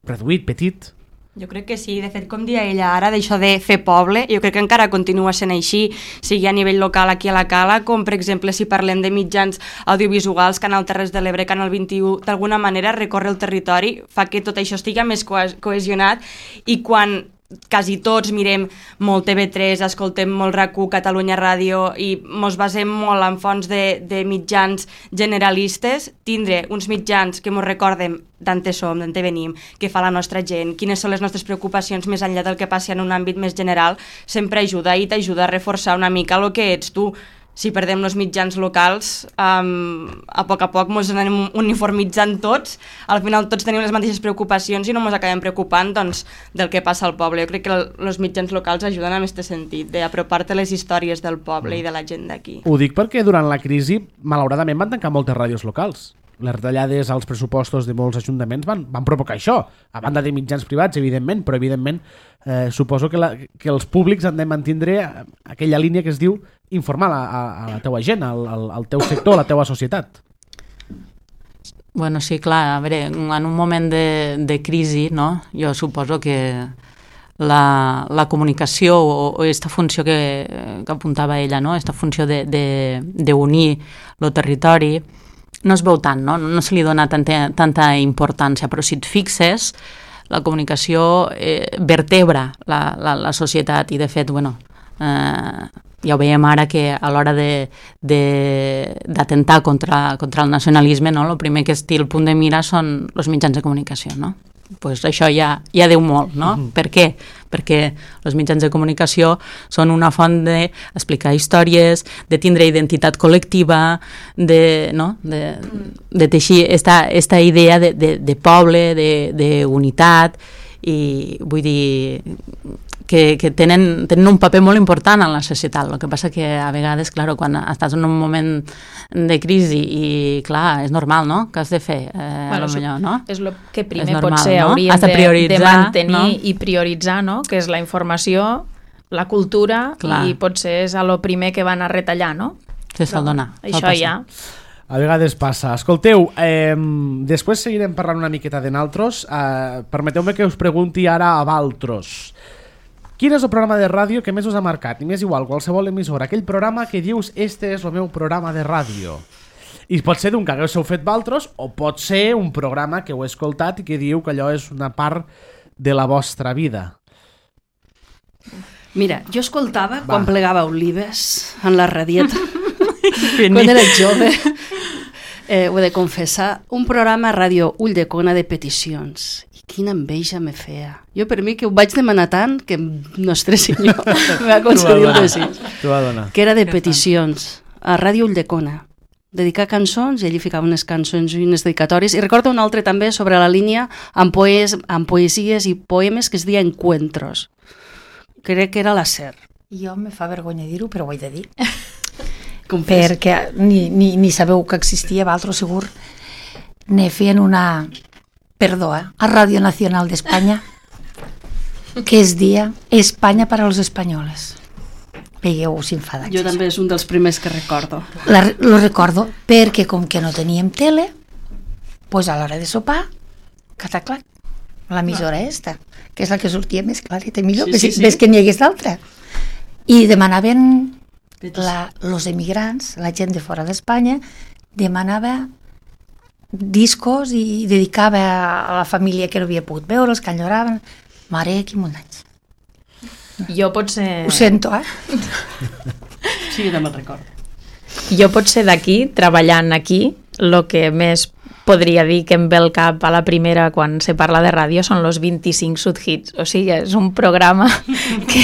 reduït, petit? Jo crec que sí, de fet, com dia ella ara, d'això de fer poble, jo crec que encara continua sent així, sigui a nivell local aquí a la Cala, com per exemple si parlem de mitjans audiovisuals, Canal Terres de l'Ebre, Canal vint-i-u, d'alguna manera recorre el territori, fa que tot això estigui més cohesionat i quan quasi tots mirem molt T V tres, escoltem molt RAC u, Catalunya Ràdio i mos basem molt en fonts de, de mitjans generalistes, tindre uns mitjans que mos recorden d'on som, d'on venim, què fa la nostra gent, quines són les nostres preocupacions més enllà del que passi en un àmbit més general, sempre ajuda i t'ajuda a reforçar una mica el que ets tu. Si perdem els mitjans locals, um, a poc a poc ens anem uniformitzant tots, al final tots tenim les mateixes preocupacions i no ens acabem preocupant doncs, del que passa al poble. Jo crec que els mitjans locals ajuden en aquest sentit, d'apropar-te les històries del poble i de la gent d'aquí. Ho dic perquè durant la crisi, malauradament, van tancar moltes ràdios locals. Les retallades als pressupostos de molts ajuntaments van, van provocar això, a banda de mitjans privats, evidentment, però evidentment eh, suposo que, la, que els públics han de mantindre aquella línia que es diu informar a, a, a la teua gent, al, al, al teu sector, a la teua societat. Bueno, sí, clar, a veure, en un moment de, de crisi, no? Jo suposo que la, la comunicació o, o esta funció que, que apuntava ella, no? Esta funció d'unir el territori, no es veu tant, no? No se li dona tanta, tanta importància, però si et fixes, la comunicació eh, vertebra la, la, la societat i, de fet, bueno, eh, ja ho veiem ara que a l'hora d'atentar contra, contra el nacionalisme, no? El primer que es té el punt de mira són els mitjans de comunicació, no? Pues això ja, ja diu molt, no? Mm-hmm. Per què? Perquè els mitjans de comunicació són una font d'explicar històries, de tindre identitat col·lectiva, de, no? de, de teixir esta, esta idea de, de, de poble, d'unitat, i vull dir que, que tenen, tenen un paper molt important en la societat. El que passa que a vegades, clar, quan estàs en un moment de crisi i, clar, és normal, no?, que has de fer, eh, bueno, millor, no? És el que primer normal, potser no? hauríem de, de, de mantenir, no? I prioritzar, no?, que és la informació, la cultura, clar. I potser és el primer que van a retallar, no? Que se'l dona. Això ja... A vegades passa. Escolteu, eh, després seguirem parlant una miqueta de naltros. Eh, permeteu-me que us pregunti ara a valtros. Quin és el programa de ràdio que més us ha marcat? I m'és igual, qualsevol emissora. Aquell programa que dius, este és el meu programa de ràdio. I pot ser d'un que haguéssiu fet valtros, o pot ser un programa que heu escoltat i que diu que allò és una part de la vostra vida. Mira, jo escoltava Va. quan plegava olives en la radieta. Quan era jove. Eh, ho he de confessar, un programa a ràdio Ulldecona de peticions. I quina enveja me feia. Jo per mi que ho vaig demanar tant que Nostre Senyor me va concedir un desig. Que era de peticions a ràdio Ulldecona. Dedicar cançons i allí ficava unes cançons i unes dedicatòries. I recordo un altre també sobre la línia amb, poes, amb poesies i poemes que es deia Encuentros. Crec que era la SER. Jo me fa vergonya dir-ho, però ho he de dir. Perquè ni, ni, ni sabeu que existia, vosaltres segur ne feien una, perdó, eh, a Radio Nacional d'Espanya que es dia Espanya per als espanyoles. Veieu, s'infada. Jo també és un dels primers que recordo. La, lo recordo perquè com que no teníem tele, pues a l'hora de sopar, cataclac, l'emissora esta, que és la que sortia més clareta i millor, sí, sí, sí. Ves que n'hi hagués d'altra. I demanaven... La, los emigrants, la gent de fora d'Espanya, demanava discos i dedicava a la família que no havia pogut veure, els que enyoraven. Mare, quin munt d'anys. Jo potser... Ho sento, eh? Sí, jo també el recordo. Jo potser d'aquí, treballant aquí, el que més podria dir que em ve al cap a la primera quan se parla de ràdio són los vint-i-cinc Sudhits. O sigui, és un programa que,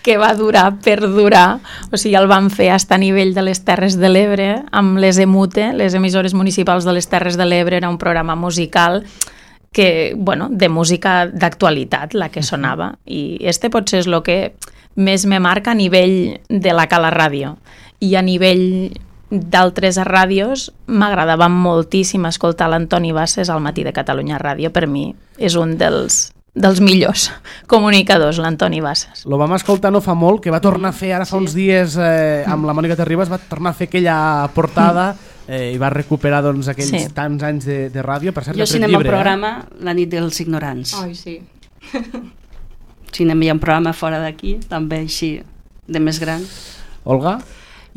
que va durar per durar. O sigui, el van fer fins a nivell de les Terres de l'Ebre, amb les EMUTE, les emissores municipals de les Terres de l'Ebre. Era un programa musical que, bueno, de música d'actualitat, la que sonava. I este potser és el que més me marca a nivell de la Cala Ràdio. I a nivell d'altres ràdios m'agradava moltíssim escoltar l'Antoni Bassas al Matí de Catalunya Ràdio. Per mi és un dels, dels millors comunicadors, l'Antoni Bassas. Lo vam escoltar no fa molt, que va tornar a fer ara fa sí. uns dies eh, amb la Mònica Terribas, va tornar a fer aquella portada eh, i va recuperar doncs, aquells sí. tants anys de, de ràdio. Per cert, jo si anem al programa eh? La nit dels ignorants. Ai, sí. Si anem a un programa fora d'aquí, també així, de més gran. Olga?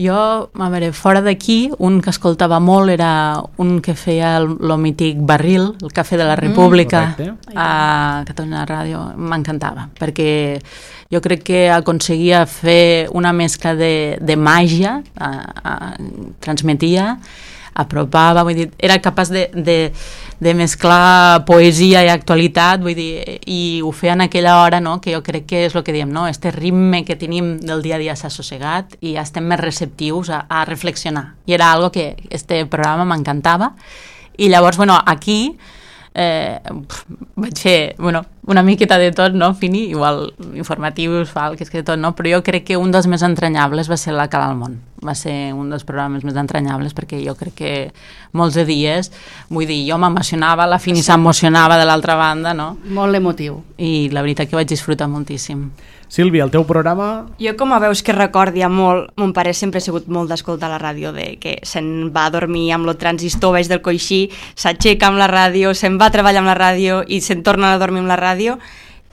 Jo, a veure, fora d'aquí, un que escoltava molt era un que feia el, el mític Barril, el Cafè de la República, mm, a Catalunya Ràdio. M'encantava, perquè jo crec que aconseguia fer una mescla de, de màgia, a, a, transmetia, apropava, vull dir, era capaç de, de, de mesclar poesia i actualitat, vull dir, i ho feia en aquella hora, no?, que jo crec que és el que diem, no?, este ritme que tenim del dia a dia s'ha assossegat i ja estem més receptius a, a reflexionar. I era algo que este programa m'encantava. I llavors, bueno, aquí eh, vaig fer, bueno, una miqueta de tot, no, Fini, igual informatius, falques, que de tot, no, però jo crec que un dels més entranyables va ser la Cala al Món. va ser un dels programes més entranyables, perquè jo crec que molts de dies, vull dir, jo m'emocionava, la Fini s'emocionava de l'altra banda, no? Molt emotiu. I la veritat que vaig disfrutar moltíssim. Sílvia, el teu programa... Jo, com a veus que recordi molt, mon pare sempre ha sigut molt d'escoltar la ràdio, de que se'n va a dormir amb el transistor baix del coixí, s'aixeca amb la ràdio, se'n va a treballar amb la ràdio i se'n torna a dormir amb la ràdio,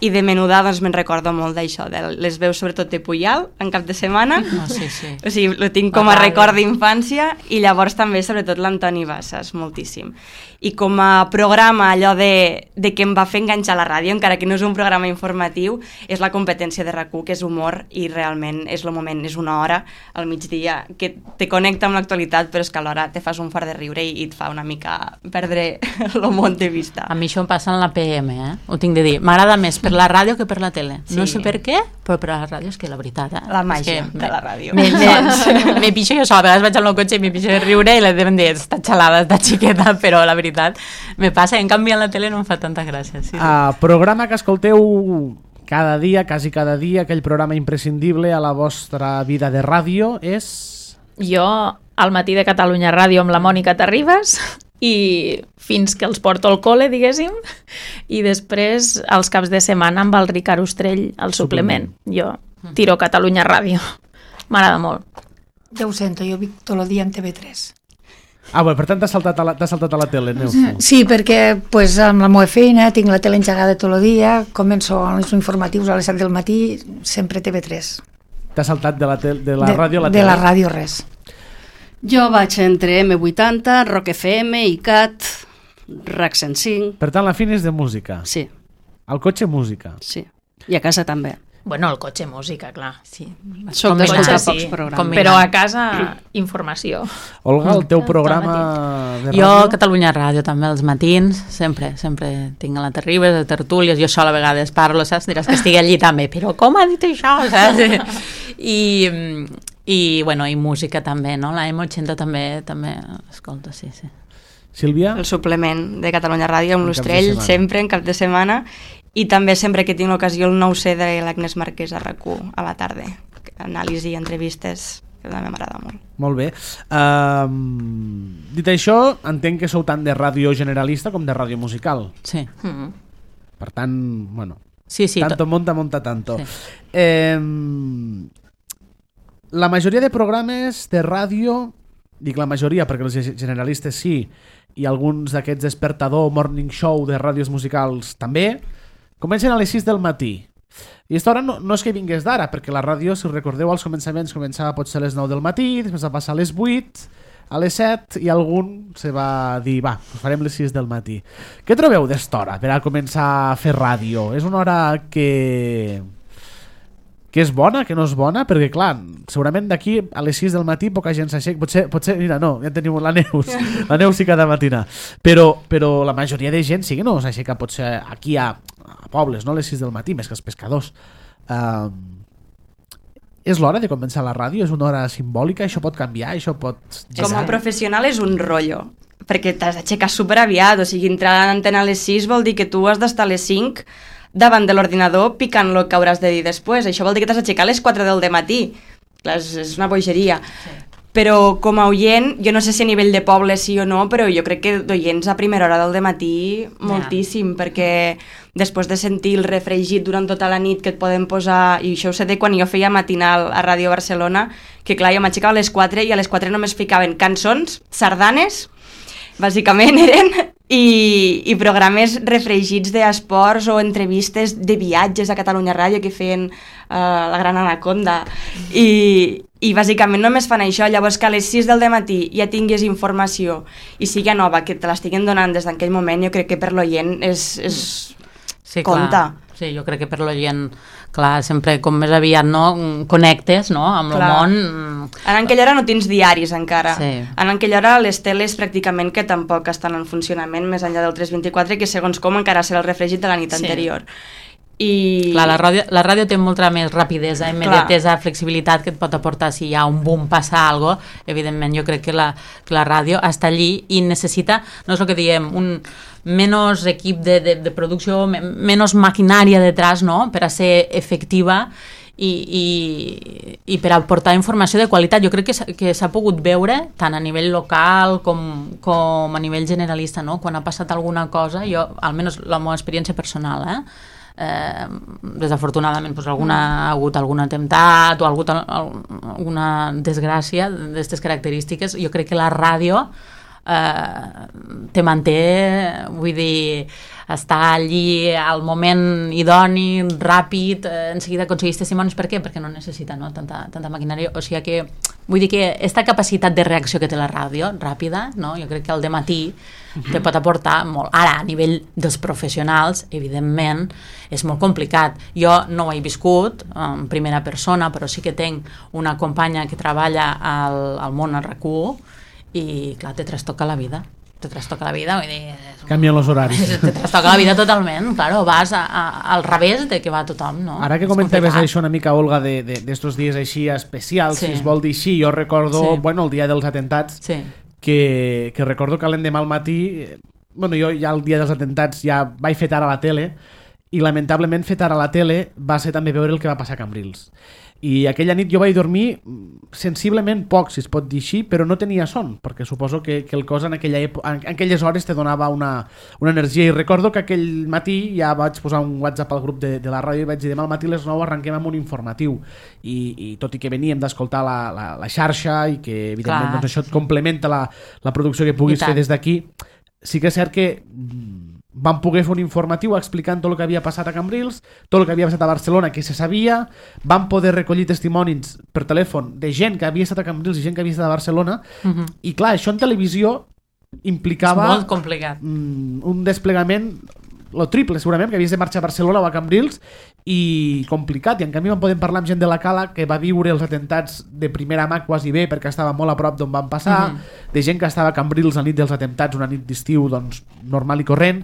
i de menuda doncs me'n recordo molt d'això, de les veus sobretot de Puyal en cap de setmana. Oh, sí, sí. O sigui, lo tinc com a record d'infància, i llavors també sobretot l'Antoni Bassas, moltíssim. I com a programa, allò de, de que em va fer enganxar la ràdio, encara que no és un programa informatiu, és la competència de RAC u, que és humor, i realment és el moment, és una hora al migdia que te connecta amb l'actualitat, però és que alhora te fas un fart de riure i, i et fa una mica perdre el món de vista. A mi això em passa en la P M, eh? Ho tinc de dir. M'agrada més per la ràdio que per la tele. Sí. No sé per què, però per la ràdio és que la veritat, eh? La màgia que de la ràdio. Me, me, me pixo jo sola, a vegades vaig al meu cotxe i me pixo de riure i les deuen dir, està xalada, està xiqueta, però la veritat me passa, en canvi en la tele no em fa tanta gràcia. Sí, sí. Uh, programa que escolteu cada dia, quasi cada dia, aquell programa imprescindible a la vostra vida de ràdio és... Jo, al matí de Catalunya Ràdio amb la Mònica Terribas, i fins que els porto al col·le, diguéssim, i després els caps de setmana amb el Ricard Ostrell al suplement. Jo tiro Catalunya Ràdio. M'agrada molt. Ja ho sento, jo vic tot el dia en T V tres. Ah, bé, per tant t'has saltat, a la, t'has saltat a la tele, Neus. Sí, perquè pues, amb la meva feina tinc la tele engegada tot el dia, començo als informatius a les set del matí, sempre T V tres. T'has saltat de la, tel, de la de, ràdio a la de tele? De la ràdio res. Jo vaig entre eme vuitanta, Rock F M, I C A T, RAC cent cinc... Per tant, la Fini és de música? Sí. Al cotxe, música? Sí. I a casa també. Bueno, el cotxe, música, clar. Sí. Soc d'escoltar pocs sí, programes. Però a casa, informació. Olga, el teu programa de ràdio? Jo, Catalunya Ràdio, també, els matins, sempre, sempre tinc a la Terribas, de tertúlies, jo sola a vegades parlo, saps? Diràs que estigui allí també, però com ha dit això, saps? I, i, bueno, i música també, no? La eme vuitanta també, també, escolta, sí, sí. Sílvia? El suplement de Catalunya Ràdio amb l'Ostrell, sempre en cap de setmana, i també sempre que tinc l'ocasió el nou C de l'Agnès Marquès a RAC u a la tarda. Anàlisi i entrevistes, que també m'agrada molt. Molt bé. Uh, dit això, entenc que sou tant de ràdio generalista com de ràdio musical. Sí. Mm. Per tant, bueno, sí, sí, tanto to... monta, monta tanto. Sí. Eh, la majoria de programes de ràdio, dic la majoria perquè els generalistes sí, i alguns d'aquests despertador morning show de ràdios musicals també, comencen a les sis del matí. I aquesta hora no, no és que vingués d'ara, perquè la ràdio, si recordeu, als començaments començava potser a les nou del matí, després va passar a les vuit, a les set, i algun se va dir, va, farem les sis del matí. Què trobeu d'esta hora per a començar a fer ràdio? És una hora que... que és bona, que no és bona, perquè clar, segurament d'aquí a les sis del matí poca gent s'aixeca, potser, potser, mira, no, ja tenim la Neus, la Neus sí cada matina, però, però la majoria de gent sí que no s'aixeca potser aquí a, a pobles, no a les sis del matí, més que els pescadors. Uh, és l'hora de començar la ràdio? És una hora simbòlica? Això pot canviar? Això pot... Com a professional és un rotllo, perquè t'has d'aixecar superaviat, o sigui, entrar a l'antena a les sis vol dir que tu has d'estar a les cinc davant de l'ordinador picant el que hauràs de dir després. Això vol dir que t'has d'aixecar a les quatre del matí. Clar, és, és una bogeria. Sí. Però com a oient, jo no sé si a nivell de poble sí o no, però jo crec que d'oients a primera hora del matí moltíssim, yeah. perquè després de sentir el refregit durant tota la nit que et poden posar, i això ho sé de quan jo feia matinal a Ràdio Barcelona, que clar, jo m'aixecava a les quatre i a les quatre només ficaven cançons, sardanes, bàsicament eren, i, i programes refregits d'esports o entrevistes de viatges a Catalunya Ràdio que feien uh, la Gran Anaconda, i, i bàsicament només fan això. Llavors que a les sis del matí ja tingués informació i sigui nova, que te l'estiguen donant des d'aquell moment, jo crec que per l'oient és, és... Sí, compta. Clar. Sí, jo crec que per l'oient, clar, sempre com més aviat no connectes, no, amb el món. En aquella hora no tens diaris encara. Sí. En aquella hora les teles pràcticament que tampoc estan en funcionament més enllà del tres vint-i-quatre, que segons com encara serà el refregit de la nit sí. anterior. I... Clar, la ràdio, la ràdio té molta més rapidesa, immediatesa, clar. Flexibilitat que et pot aportar si hi ha un boom, passa alguna cosa. Evidentment, jo crec que la, que la ràdio està allí i necessita, no és el que diem, un menys equip de, de, de producció, menys maquinària detrás, no?, per a ser efectiva, i, i, i per aportar informació de qualitat. Jo crec que s'ha, que s'ha pogut veure tant a nivell local com, com a nivell generalista, no? Quan ha passat alguna cosa, jo, almenys la meva experiència personal, eh? Eh, desafortunadament pues, alguna, ha hagut algun atemptat o ha hagut alguna desgràcia d'aquestes característiques, jo crec que la ràdio eh, te manté, vull dir, està allí al moment idoni, ràpid, eh, en seguida aconsegueix testimonis. Per què? Perquè no necessita, no? Tanta, tanta maquinària, o sigui que vull dir que aquesta capacitat de reacció que té la ràdio, ràpida, no? Jo crec que al dematí te pot aportar molt. Ara, a nivell dels professionals, evidentment, és molt complicat. Jo no ho he viscut en primera persona, però sí que tenc una companya que treballa al, al món al RAC u i, clar, te trastoca la vida. Te trastoca la vida, vull dir... Canvien els horaris. Te trastoca la vida totalment, claro, vas a, a, al revés de que va tothom, no? Ara que comentaves això una mica, Olga, d'estos de, de dies així especials, sí. Si es vol dir així, jo recordo, sí. Bueno, el dia dels atentats, sí. que, que recordo que l'endemà al matí, bueno, jo ja el dia dels atentats ja vaig fer tard a la tele, i lamentablement fer tard a la tele va ser també veure el que va passar a Cambrils. I aquella nit jo vaig dormir sensiblement poc, si es pot dir així, però no tenia son, perquè suposo que, que el cos en, aquella època, en aquelles hores te donava una, una energia. I recordo que aquell matí ja vaig posar un WhatsApp al grup de, de la ràdio i vaig dir demà al matí a les nou arrenquem amb un informatiu. I, i tot i que veníem d'escoltar la, la, la xarxa i que evidentment doncs, això et complementa la, la producció que puguis fer des d'aquí, sí que és cert que vam poder fer un informatiu explicant tot el que havia passat a Cambrils, tot el que havia passat a Barcelona, que se sabia, vam poder recollir testimonis per telèfon de gent que havia estat a Cambrils i gent que havia estat a Barcelona, uh-huh. I clar, això en televisió implicava és molt complicat. Un desplegament lo triple segurament, que havies de marxar a Barcelona o a Cambrils, i complicat, i en canvi vam poder parlar amb gent de la Cala que va viure els atentats de primera mà quasi bé, perquè estava molt a prop d'on van passar, uh-huh. De gent que estava a Cambrils la nit dels atentats, una nit d'estiu doncs, normal i corrent.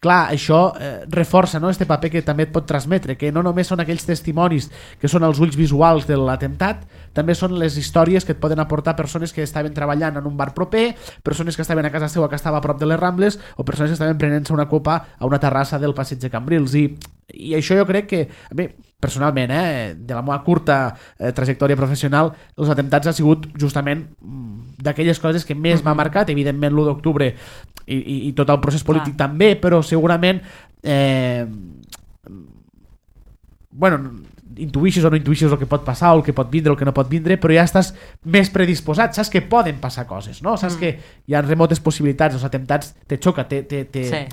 Clar, això eh, reforça, no?, este paper que també et pot transmetre, que no només són aquells testimonis que són els ulls visuals de l'atemptat, també són les històries que et poden aportar persones que estaven treballant en un bar proper, persones que estaven a casa seva que estava a prop de les Rambles, o persones que estaven prenent-se una copa a una terrassa del passeig de Cambrils. I, i això jo crec que, a mi, personalment, eh, de la meva curta eh, trajectòria professional, els atemptats ha sigut justament d'aquelles coses que més m'ha marcat, evidentment l'u d'octubre i, i, i tot el procés polític Clar. També, però segurament eh, bueno, intuïxis o no intuïxis el que pot passar o el que pot vindre o el que no pot vindre, però ja estàs més predisposat, saps que poden passar coses, no? Saps mm. que hi ha remotes possibilitats, els atemptats te xoca, te, te, te, sí.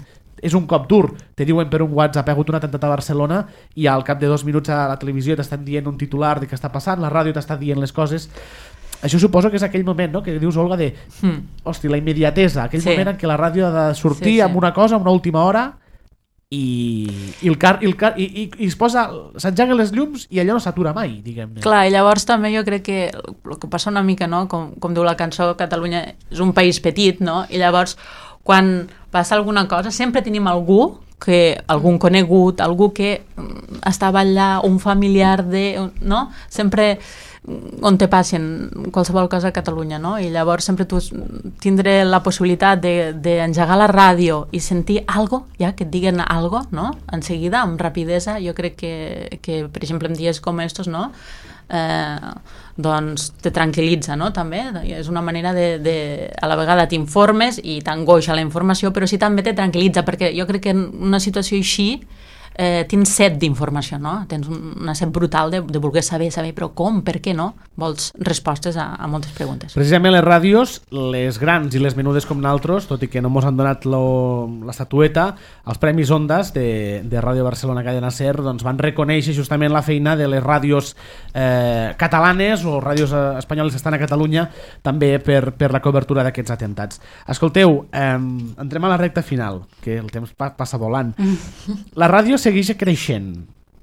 És un cop dur, te diuen per un WhatsApp ha hagut un atemptat a Barcelona i al cap de dos minuts a la televisió t'estan dient un titular de què està passant, la ràdio t'està dient les coses. Això suposo que és aquell moment, no?, que dius, Olga, de mm. hosti, la immediatesa, aquell sí. moment en què la ràdio ha de sortir sí, sí. amb una cosa, una última hora i, i, el car, i, el car, i, i, i es posa, s'engeguen les llums i allò no s'atura mai, diguem-ne. Clar, i llavors també jo crec que el que passa una mica, no?, com, com diu la cançó, Catalunya és un país petit, no?, i llavors quan passa alguna cosa sempre tenim algú que algun conegut, algú que estava allà, un familiar de, no? Sempre on te passen qualsevol cosa a Catalunya, no? I llavors sempre tu tindre la possibilitat d'engegar la ràdio i sentir algo, ja, que et diguen algo, no? En seguida, amb rapidesa, jo crec que, que per exemple, en dies com estos, no? Eh, doncs te tranquil·litza, no? També és una manera de, de a la vegada t'informes i t'angoixa la informació, però sí també te tranquil·litza, perquè jo crec que en una situació així eh, tens set d'informació, no? Tens una set brutal de, de voler saber, saber, però com, per què no? Vols respostes a, a moltes preguntes. Precisament les ràdios, les grans i les menudes com naltros, tot i que no mos han donat lo, l'estatueta, els Premis Ondas de, de Ràdio Barcelona Cadena Ser doncs van reconèixer justament la feina de les ràdios eh, catalanes o ràdios espanyoles que estan a Catalunya també per, per la cobertura d'aquests atentats. Escolteu, eh, entrem a la recta final, que el temps pa, passa volant. La ràdio segueix creixent,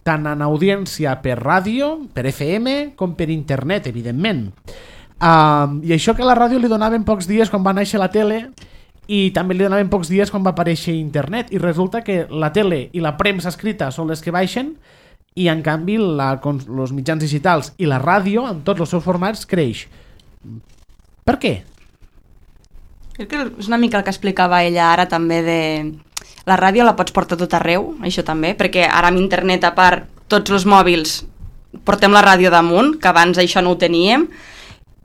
tant en audiència per ràdio, per F M, com per internet, evidentment. Uh, I això que a la ràdio li donaven pocs dies quan va néixer la tele i també li donaven pocs dies quan va aparèixer internet, i resulta que la tele i la premsa escrita són les que baixen i en canvi la, els mitjans digitals i la ràdio, en tots els seus formats, creix. Per què? Crec que és una mica el que explicava ella ara també de... La ràdio la pots portar tot arreu, això també, perquè ara amb internet, a part, tots els mòbils portem la ràdio damunt, que abans això no ho teníem,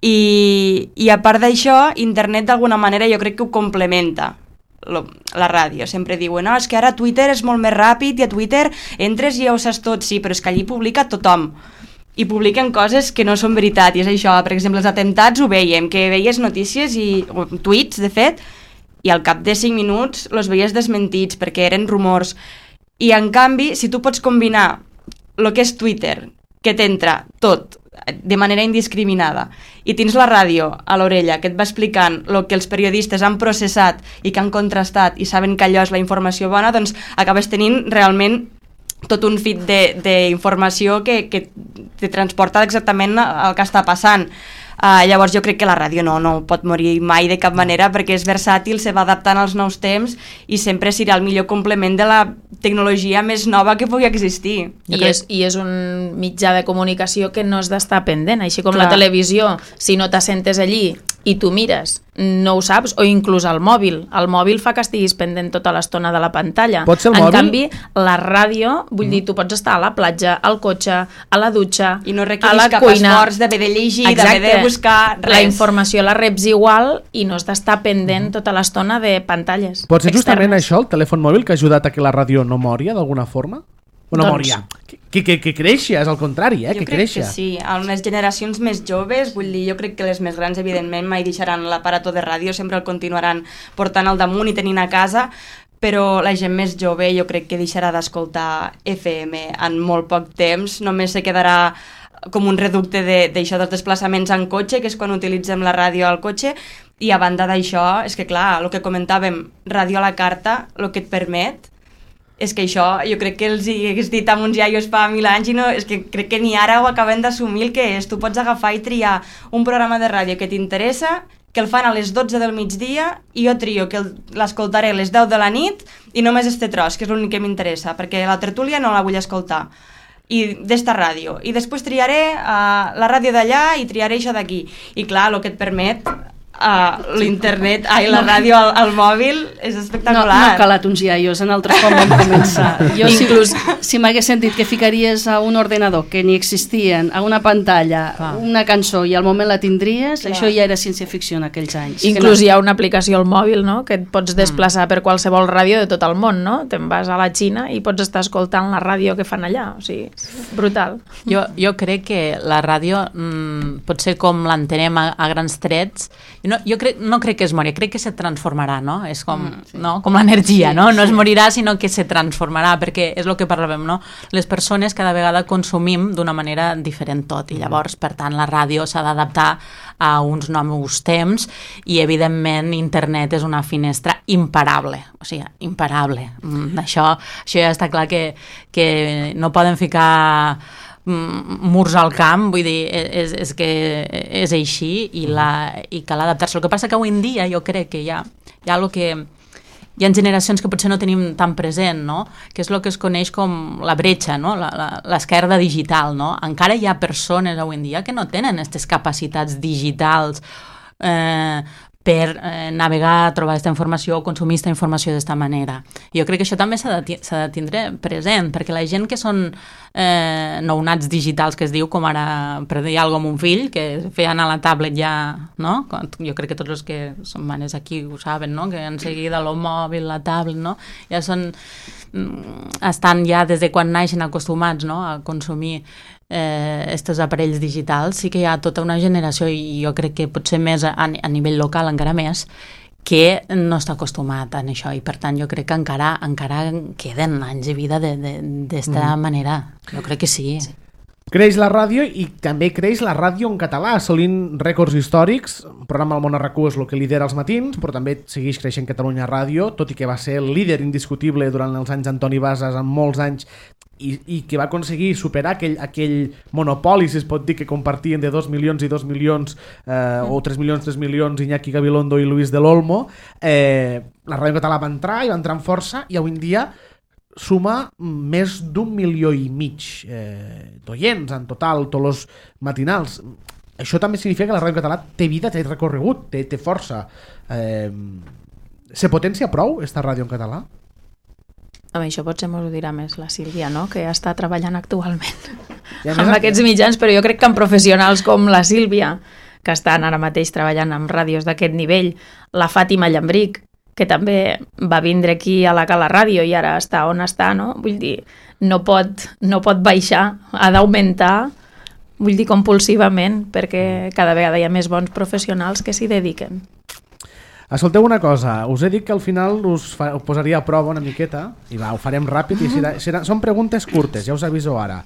i, i a part d'això, internet d'alguna manera jo crec que ho complementa, lo, la ràdio. Sempre diuen, no, és que ara Twitter és molt més ràpid i a Twitter entres i ja ho saps tot, sí, però és que allí publica tothom. I publiquen coses que no són veritat, i és això, per exemple, els atemptats ho veiem, que veies notícies i o, tuits, de fet, i al cap de cinc minuts els veies desmentits perquè eren rumors. I en canvi, si tu pots combinar el que és Twitter, que t'entra tot de manera indiscriminada, i tens la ràdio a l'orella que et va explicant el que els periodistes han processat i que han contrastat i saben que allò és la informació bona, doncs acabes tenint realment tot un feed d'informació que, que te transporta exactament el que està passant. Uh, llavors jo crec que la ràdio no, no pot morir mai de cap manera perquè és versàtil, se va adaptant als nous temps i sempre serà el millor complement de la tecnologia més nova que pugui existir. I és, I és un mitjà de comunicació que no has d'estar pendent, així com Clar. La televisió, si no t'assentes allí i tu mires, no ho saps, o inclús el mòbil. El mòbil fa que estiguis pendent tota l'estona de la pantalla. Pot ser el en mòbil? canvi, la ràdio, vull mm. dir, tu pots estar a la platja, al cotxe, a la dutxa, I no a la requeris cap cuina. esforç d'haver de llegir, d'haver de buscar res. La informació la reps igual i no has d'estar pendent tota l'estona de pantalles Pot ser justament externes. això, el telèfon mòbil, que ha ajudat a que la ràdio no moria d'alguna forma? O no Doncs- moria? Que, que, que creixia, és al contrari, eh? Jo que crec creixia. que sí, a les generacions més joves, vull dir, jo crec que les més grans evidentment mai deixaran l'aparato de ràdio, sempre el continuaran portant al damunt i tenint a casa, però la gent més jove jo crec que deixarà d'escoltar F M en molt poc temps, només se quedarà com un reducte d'això de, dels desplaçaments en cotxe, que és quan utilitzem la ràdio al cotxe, i a banda d'això, és que clar, el que comentàvem, ràdio a la carta, el que et permet és que això, jo crec que els hi hagués dit amb uns iaios fa mil anys i no, és que crec que ni ara ho acabem d'assumir el que és. Tu pots agafar i triar un programa de ràdio que t'interessa, que el fan a les dotze del migdia, i jo trio que l'escoltaré a les deu de la nit i només este tros, que és l'únic que m'interessa, perquè la tertúlia no la vull escoltar. I d'esta ràdio. I després triaré uh, la ràdio d'allà i triaré això d'aquí. I clar, el que et permet Uh, l'internet, ai, la ràdio al, al mòbil és espectacular. No, no ha calat uns iaios en altres com vam començar. Jo, Inclús, si, si m'hagués sentit que ficaries a un ordenador que ni existien, a una pantalla, Clar. una cançó, i al moment la tindries, Clar. això ja era ciència-ficció en aquells anys. Inclús no... hi ha una aplicació al mòbil, no?, que et pots desplaçar mm. per qualsevol ràdio de tot el món, no? Te'n vas a la Xina i pots estar escoltant la ràdio que fan allà, o sigui, brutal. Jo, jo crec que la ràdio mm, potser com l'entenem a, a grans trets, no, jo crec, no crec que es mori, crec que se transformarà, no? És com, mm, sí. no? com l'energia, sí, no? No sí. es morirà, sinó que se transformarà, perquè és el que parlàvem, no? Les persones cada vegada consumim d'una manera diferent tot, i llavors, per tant, la ràdio s'ha d'adaptar a uns nous temps, i evidentment internet és una finestra imparable, o sigui, imparable. Mm, això, això ja està clar que, que no poden ficar murs al camp, vull dir, és, és que és així i, la, i cal adaptar-se. El que passa que avui en dia jo crec que hi ha, hi ha el que hi ha generacions que potser no tenim tan present, no? Que és el que es coneix com la bretxa, no? L'esquerda digital, no? Encara hi ha persones avui en dia que no tenen aquestes capacitats digitals eh, per eh, navegar, trobar aquesta informació o consumir aquesta informació d'esta manera. Jo crec que això també s'ha de, s'ha de tindre present, perquè la gent que són eh, nounats digitals, que es diu, com ara, per dir alguna cosa, amb un fill, que feien a la tablet ja, no? Jo crec que tots els que són mares aquí ho saben, no? Que en seguida el mòbil, la tablet, no? Ja són, estan ja des de quan naixen acostumats, no? A consumir aquests eh, aparells digitals. Sí que hi ha tota una generació, i jo crec que potser més a, a nivell local encara més, que no està acostumat a això, i per tant jo crec que encara encara queden anys de vida d'esta mm. manera. Jo crec que sí. sí. Creix la ràdio, i també creix la ràdio en català, assolint rècords històrics. El programa El Món a RAC-u és el que lidera els matins, però també segueix creixent Catalunya Ràdio, tot i que va ser el líder indiscutible durant els anys d'Antoni Bases, en molts anys, i, i que va aconseguir superar aquell, aquell monopoli, si es pot dir, que compartien de dos milions i dos milions, eh, o tres milions, tres milions, Iñaki Gabilondo i Luis del Olmo. Eh, la ràdio català va entrar, i va entrar amb força, i avui en dia suma més d'un milió i mig eh, d'oients en total, tots els matinals. Això també significa que la ràdio català té vida, té recorregut, té, té força. Eh, se potencia prou esta ràdio en català? Amb això potser m'ho dirà més la Sílvia, no? Que està treballant actualment amb aquests mitjans, però jo crec que amb professionals com la Sílvia, que estan ara mateix treballant amb ràdios d'aquest nivell, la Fàtima Llambric, que també va vindre aquí a la Cala Ràdio i ara està on està, no? Vull dir, no pot, no pot baixar, ha d'augmentar, vull dir, compulsivament, perquè cada vegada hi ha més bons professionals que s'hi dediquen. Escolteu una cosa, us he dit que al final us, fa, us posaria a prova una miqueta i va, ho farem ràpid i serà, serà, són preguntes curtes, ja us aviso ara.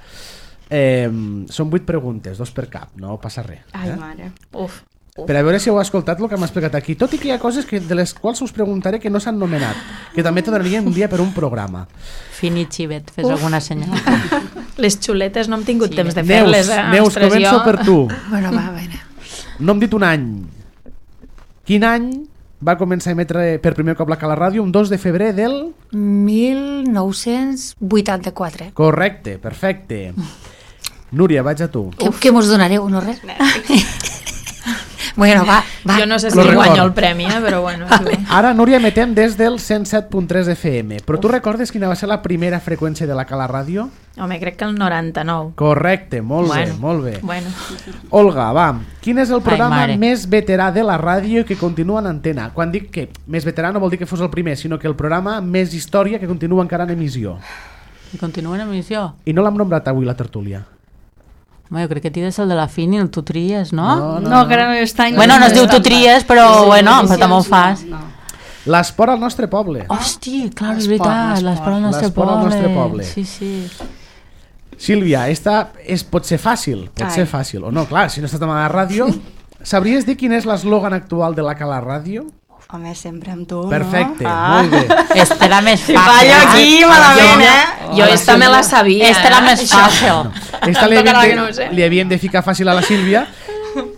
Eh, són vuit preguntes, dos per cap, no passa res. Eh? Ai, mare. Uf, uf. Per a veure si heu escoltat el que m'ha explicat aquí, tot i que hi ha coses que, de les quals us preguntaré que no s'han nomenat, que també te donarien un dia per un programa. Fini xivet, fes Uf. alguna senyal. Les xuletes no hem tingut sí. temps de Neus, fer-les. Eh? Neus, Ostres, començo jo... per tu. Bueno, va, a veure. No hem dit un any. Quin any va començar a emetre per primer cop la Cala Ràdio? Un dos de febrer del... mil nou-cents vuitanta-quatre. Correcte, perfecte. Núria, vaig a tu. Què, què mos donareu, no res? Bueno, va, va. Jo no sé si Lo guanyo record. el premi, eh? Però bueno. Sí. Ara, Núria, emetem des del cent set punt tres F M. Però tu recordes quina va ser la primera freqüència de la Cala Ràdio? Home, crec que el noranta-nou. Correcte, molt Bueno, bé, molt bé. Bueno. Olga, va, quin és el programa Ai, mare. més veterà de la ràdio que continua en antena? Quan dic que més veterà no vol dir que fos el primer, sinó que el programa amb més història que continua encara en emissió. I continua en emissió? I no l'hem nombrat avui la tertúlia. Home, jo crec que tires el de la Fini, el tu tries, no? No, no, No, que ara no està... Bueno, no es diu tu tries, però Sí, bueno, sí, però també ho sí, fas. no. L'esport al nostre poble. Hosti, clar, és L'esport, veritat, l'esport al nostre L'esport al poble. nostre poble. Sí, sí. Sílvia, esta és, pot ser fàcil, pot Ai. ser fàcil. O no, clar, si no estàs a la ràdio, sabries dir quin és l'eslògan actual de la Cala Ràdio? Home, sempre amb tu, Perfecte, no? Ah. molt bé. Este era més Si fàcil. fallo aquí, malament, eh? Jo esta me la sabia. Este era eh? més fàcil. Esta li Tocarà havíem, que no ho de, sé. li havíem de ficar fàcil a la Sílvia.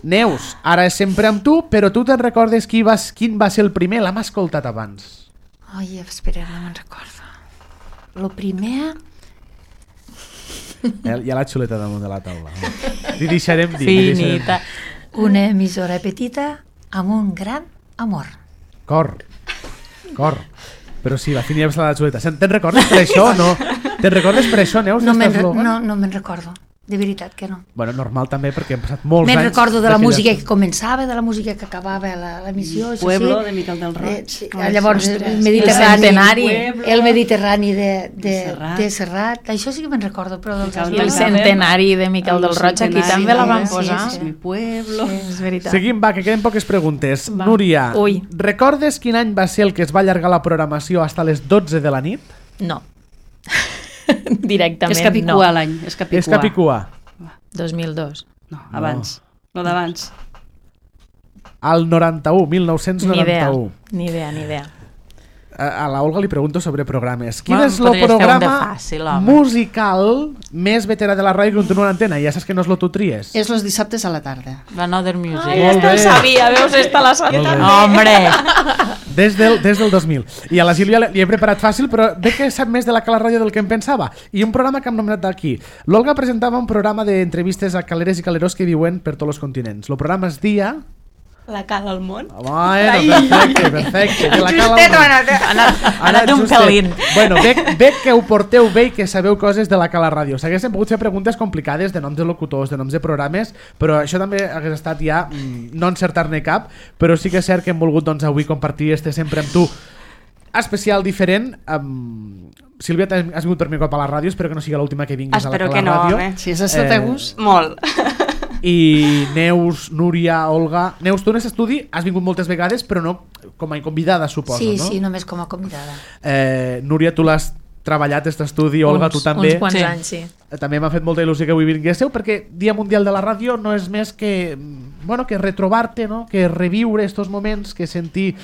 Neus, ara és sempre amb tu, però tu te'n recordes qui vas, quin va ser el primer? L'hem escoltat abans. Ai, espera, no me'n recordo. Lo primer... Eh, hi ha la xuleta damunt de la taula. Li deixarem dir. li deixarem dir. Finita. Una emissora petita amb un gran amor. Cor. Cor. Però sí, la Fini ja va la xuleta. Te'n recordes per això o no? Te'n recordes per això, Neus? No me'n d'esta re- eslògan? no, no me'n recordo. De veritat que no. Bueno, normal també, perquè hem passat molts Me'n anys... recordo de la d'aquella- música que començava, de la música que acabava la- l'emissió. això Pueblo, sí. de Miquel del Roig. Eh, sí. Ai, Llavors, ostres. el Mediterrani, El centenari. el Mediterrani de, de, De Serrat. de Serrat. Això sí que me'n recordo, però dels Miquel I el del centenari de Miquel del Roig, aquí centenari, també la van sí, posar. sí, És mi pueblo. Sí, és veritat. Seguim, va, que queden poques preguntes. Va. Núria, Ui. recordes quin any va ser el que es va allargar la programació fins a les dotze de la nit? No. Directament És Capicua no. l'any. És Capicua. És Capicua. dos mil dos. No, abans. No d'abans. Al noranta-u, mil nou-cents Ni idea, noranta-u. ni idea, ni idea. A, a la Olga li pregunto sobre programes. Quin Bueno, és el podries fer un de programa fàcil, home. musical més veterà de la ràdio que continua en antena? Ja saps que no és lo tu tries. És los dissabtes a la tarda. L'Another Music. Ai, Molt esta bé. ho sabia, veus, esta la sabia. Molt bé. Hombre! Des del, des del dos mil. I a la Sílvia li he preparat fàcil, però veig que sap més de la Cala Ràdio del que em pensava. I un programa que hem nomenat aquí. L'Olga presentava un programa d'entrevistes a caleres i calerós que viuen per tots els continents. El programa es dia... La cala al món. Bueno, perfecte, perfecte. Que la cala Justet, al món. ho ha anat, eh? Ha anat, ha Ara, anat un justet. pelín. Bueno, veig, veig que ho porteu bé i que sabeu coses de la Cala Ràdio. S'haguessin pogut fer preguntes complicades de noms de locutors, de noms de programes, però això també hagués estat ja mm, no encertar-ne cap, però sí que és cert que hem volgut doncs, avui compartir este sempre amb tu especial diferent. Um, Sílvia, t'has- has vingut per mi cop a la ràdio, espero que no sigui l'última que vinguis Espero a la que Cala no, Ràdio. home. Si és el teu Eh, gust. Molt. I Neus, Núria, Olga... Neus, tu en aquest estudi has vingut moltes vegades, però no com a convidada, suposo, Sí, no? sí, només com a convidada. Eh, Núria, tu l'has treballat, aquest estudi, Olga, uns, tu també. Uns quants Sí. anys, sí. Eh, També m'ha fet molta il·lusió que avui vinguéssiu, perquè Dia Mundial de la Ràdio no és més que, mm, bueno, que retrobar-te, no? Que reviure estos moments, que sentir...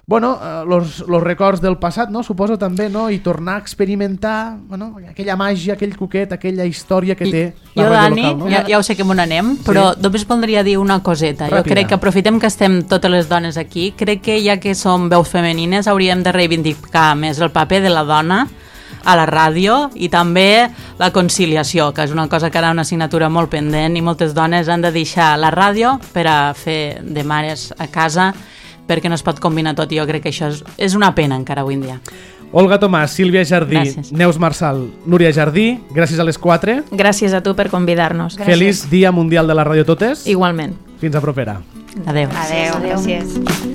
Bueno, eh, los, los records del passat, no? Suposo també, no? I tornar a experimentar, bueno, aquella màgia, aquell coquet, aquella història que té la Jo, ràdio Dani, local, no? ja, ja ho sé que me n'anem, però només voldria dir una coseta. Jo Ràpida. crec que aprofitem que estem totes les dones aquí. Crec que ja que som veus femenines hauríem de reivindicar més el paper de la dona a la ràdio i també la conciliació, que és una cosa que ara una assignatura molt pendent i moltes dones han de deixar la ràdio per a fer de mares a casa perquè no es pot combinar tot i jo crec que això és, és una pena encara avui en dia. Olga Tomàs, Sílvia Jardí, Gràcies. Neus Marçal, Núria Jardí, gràcies a les quatre. Gràcies a tu per convidar-nos. Feliç Dia Mundial de la Ràdio Totes. Igualment. Fins a propera. Adéu. Adéu. Adéu. Gràcies.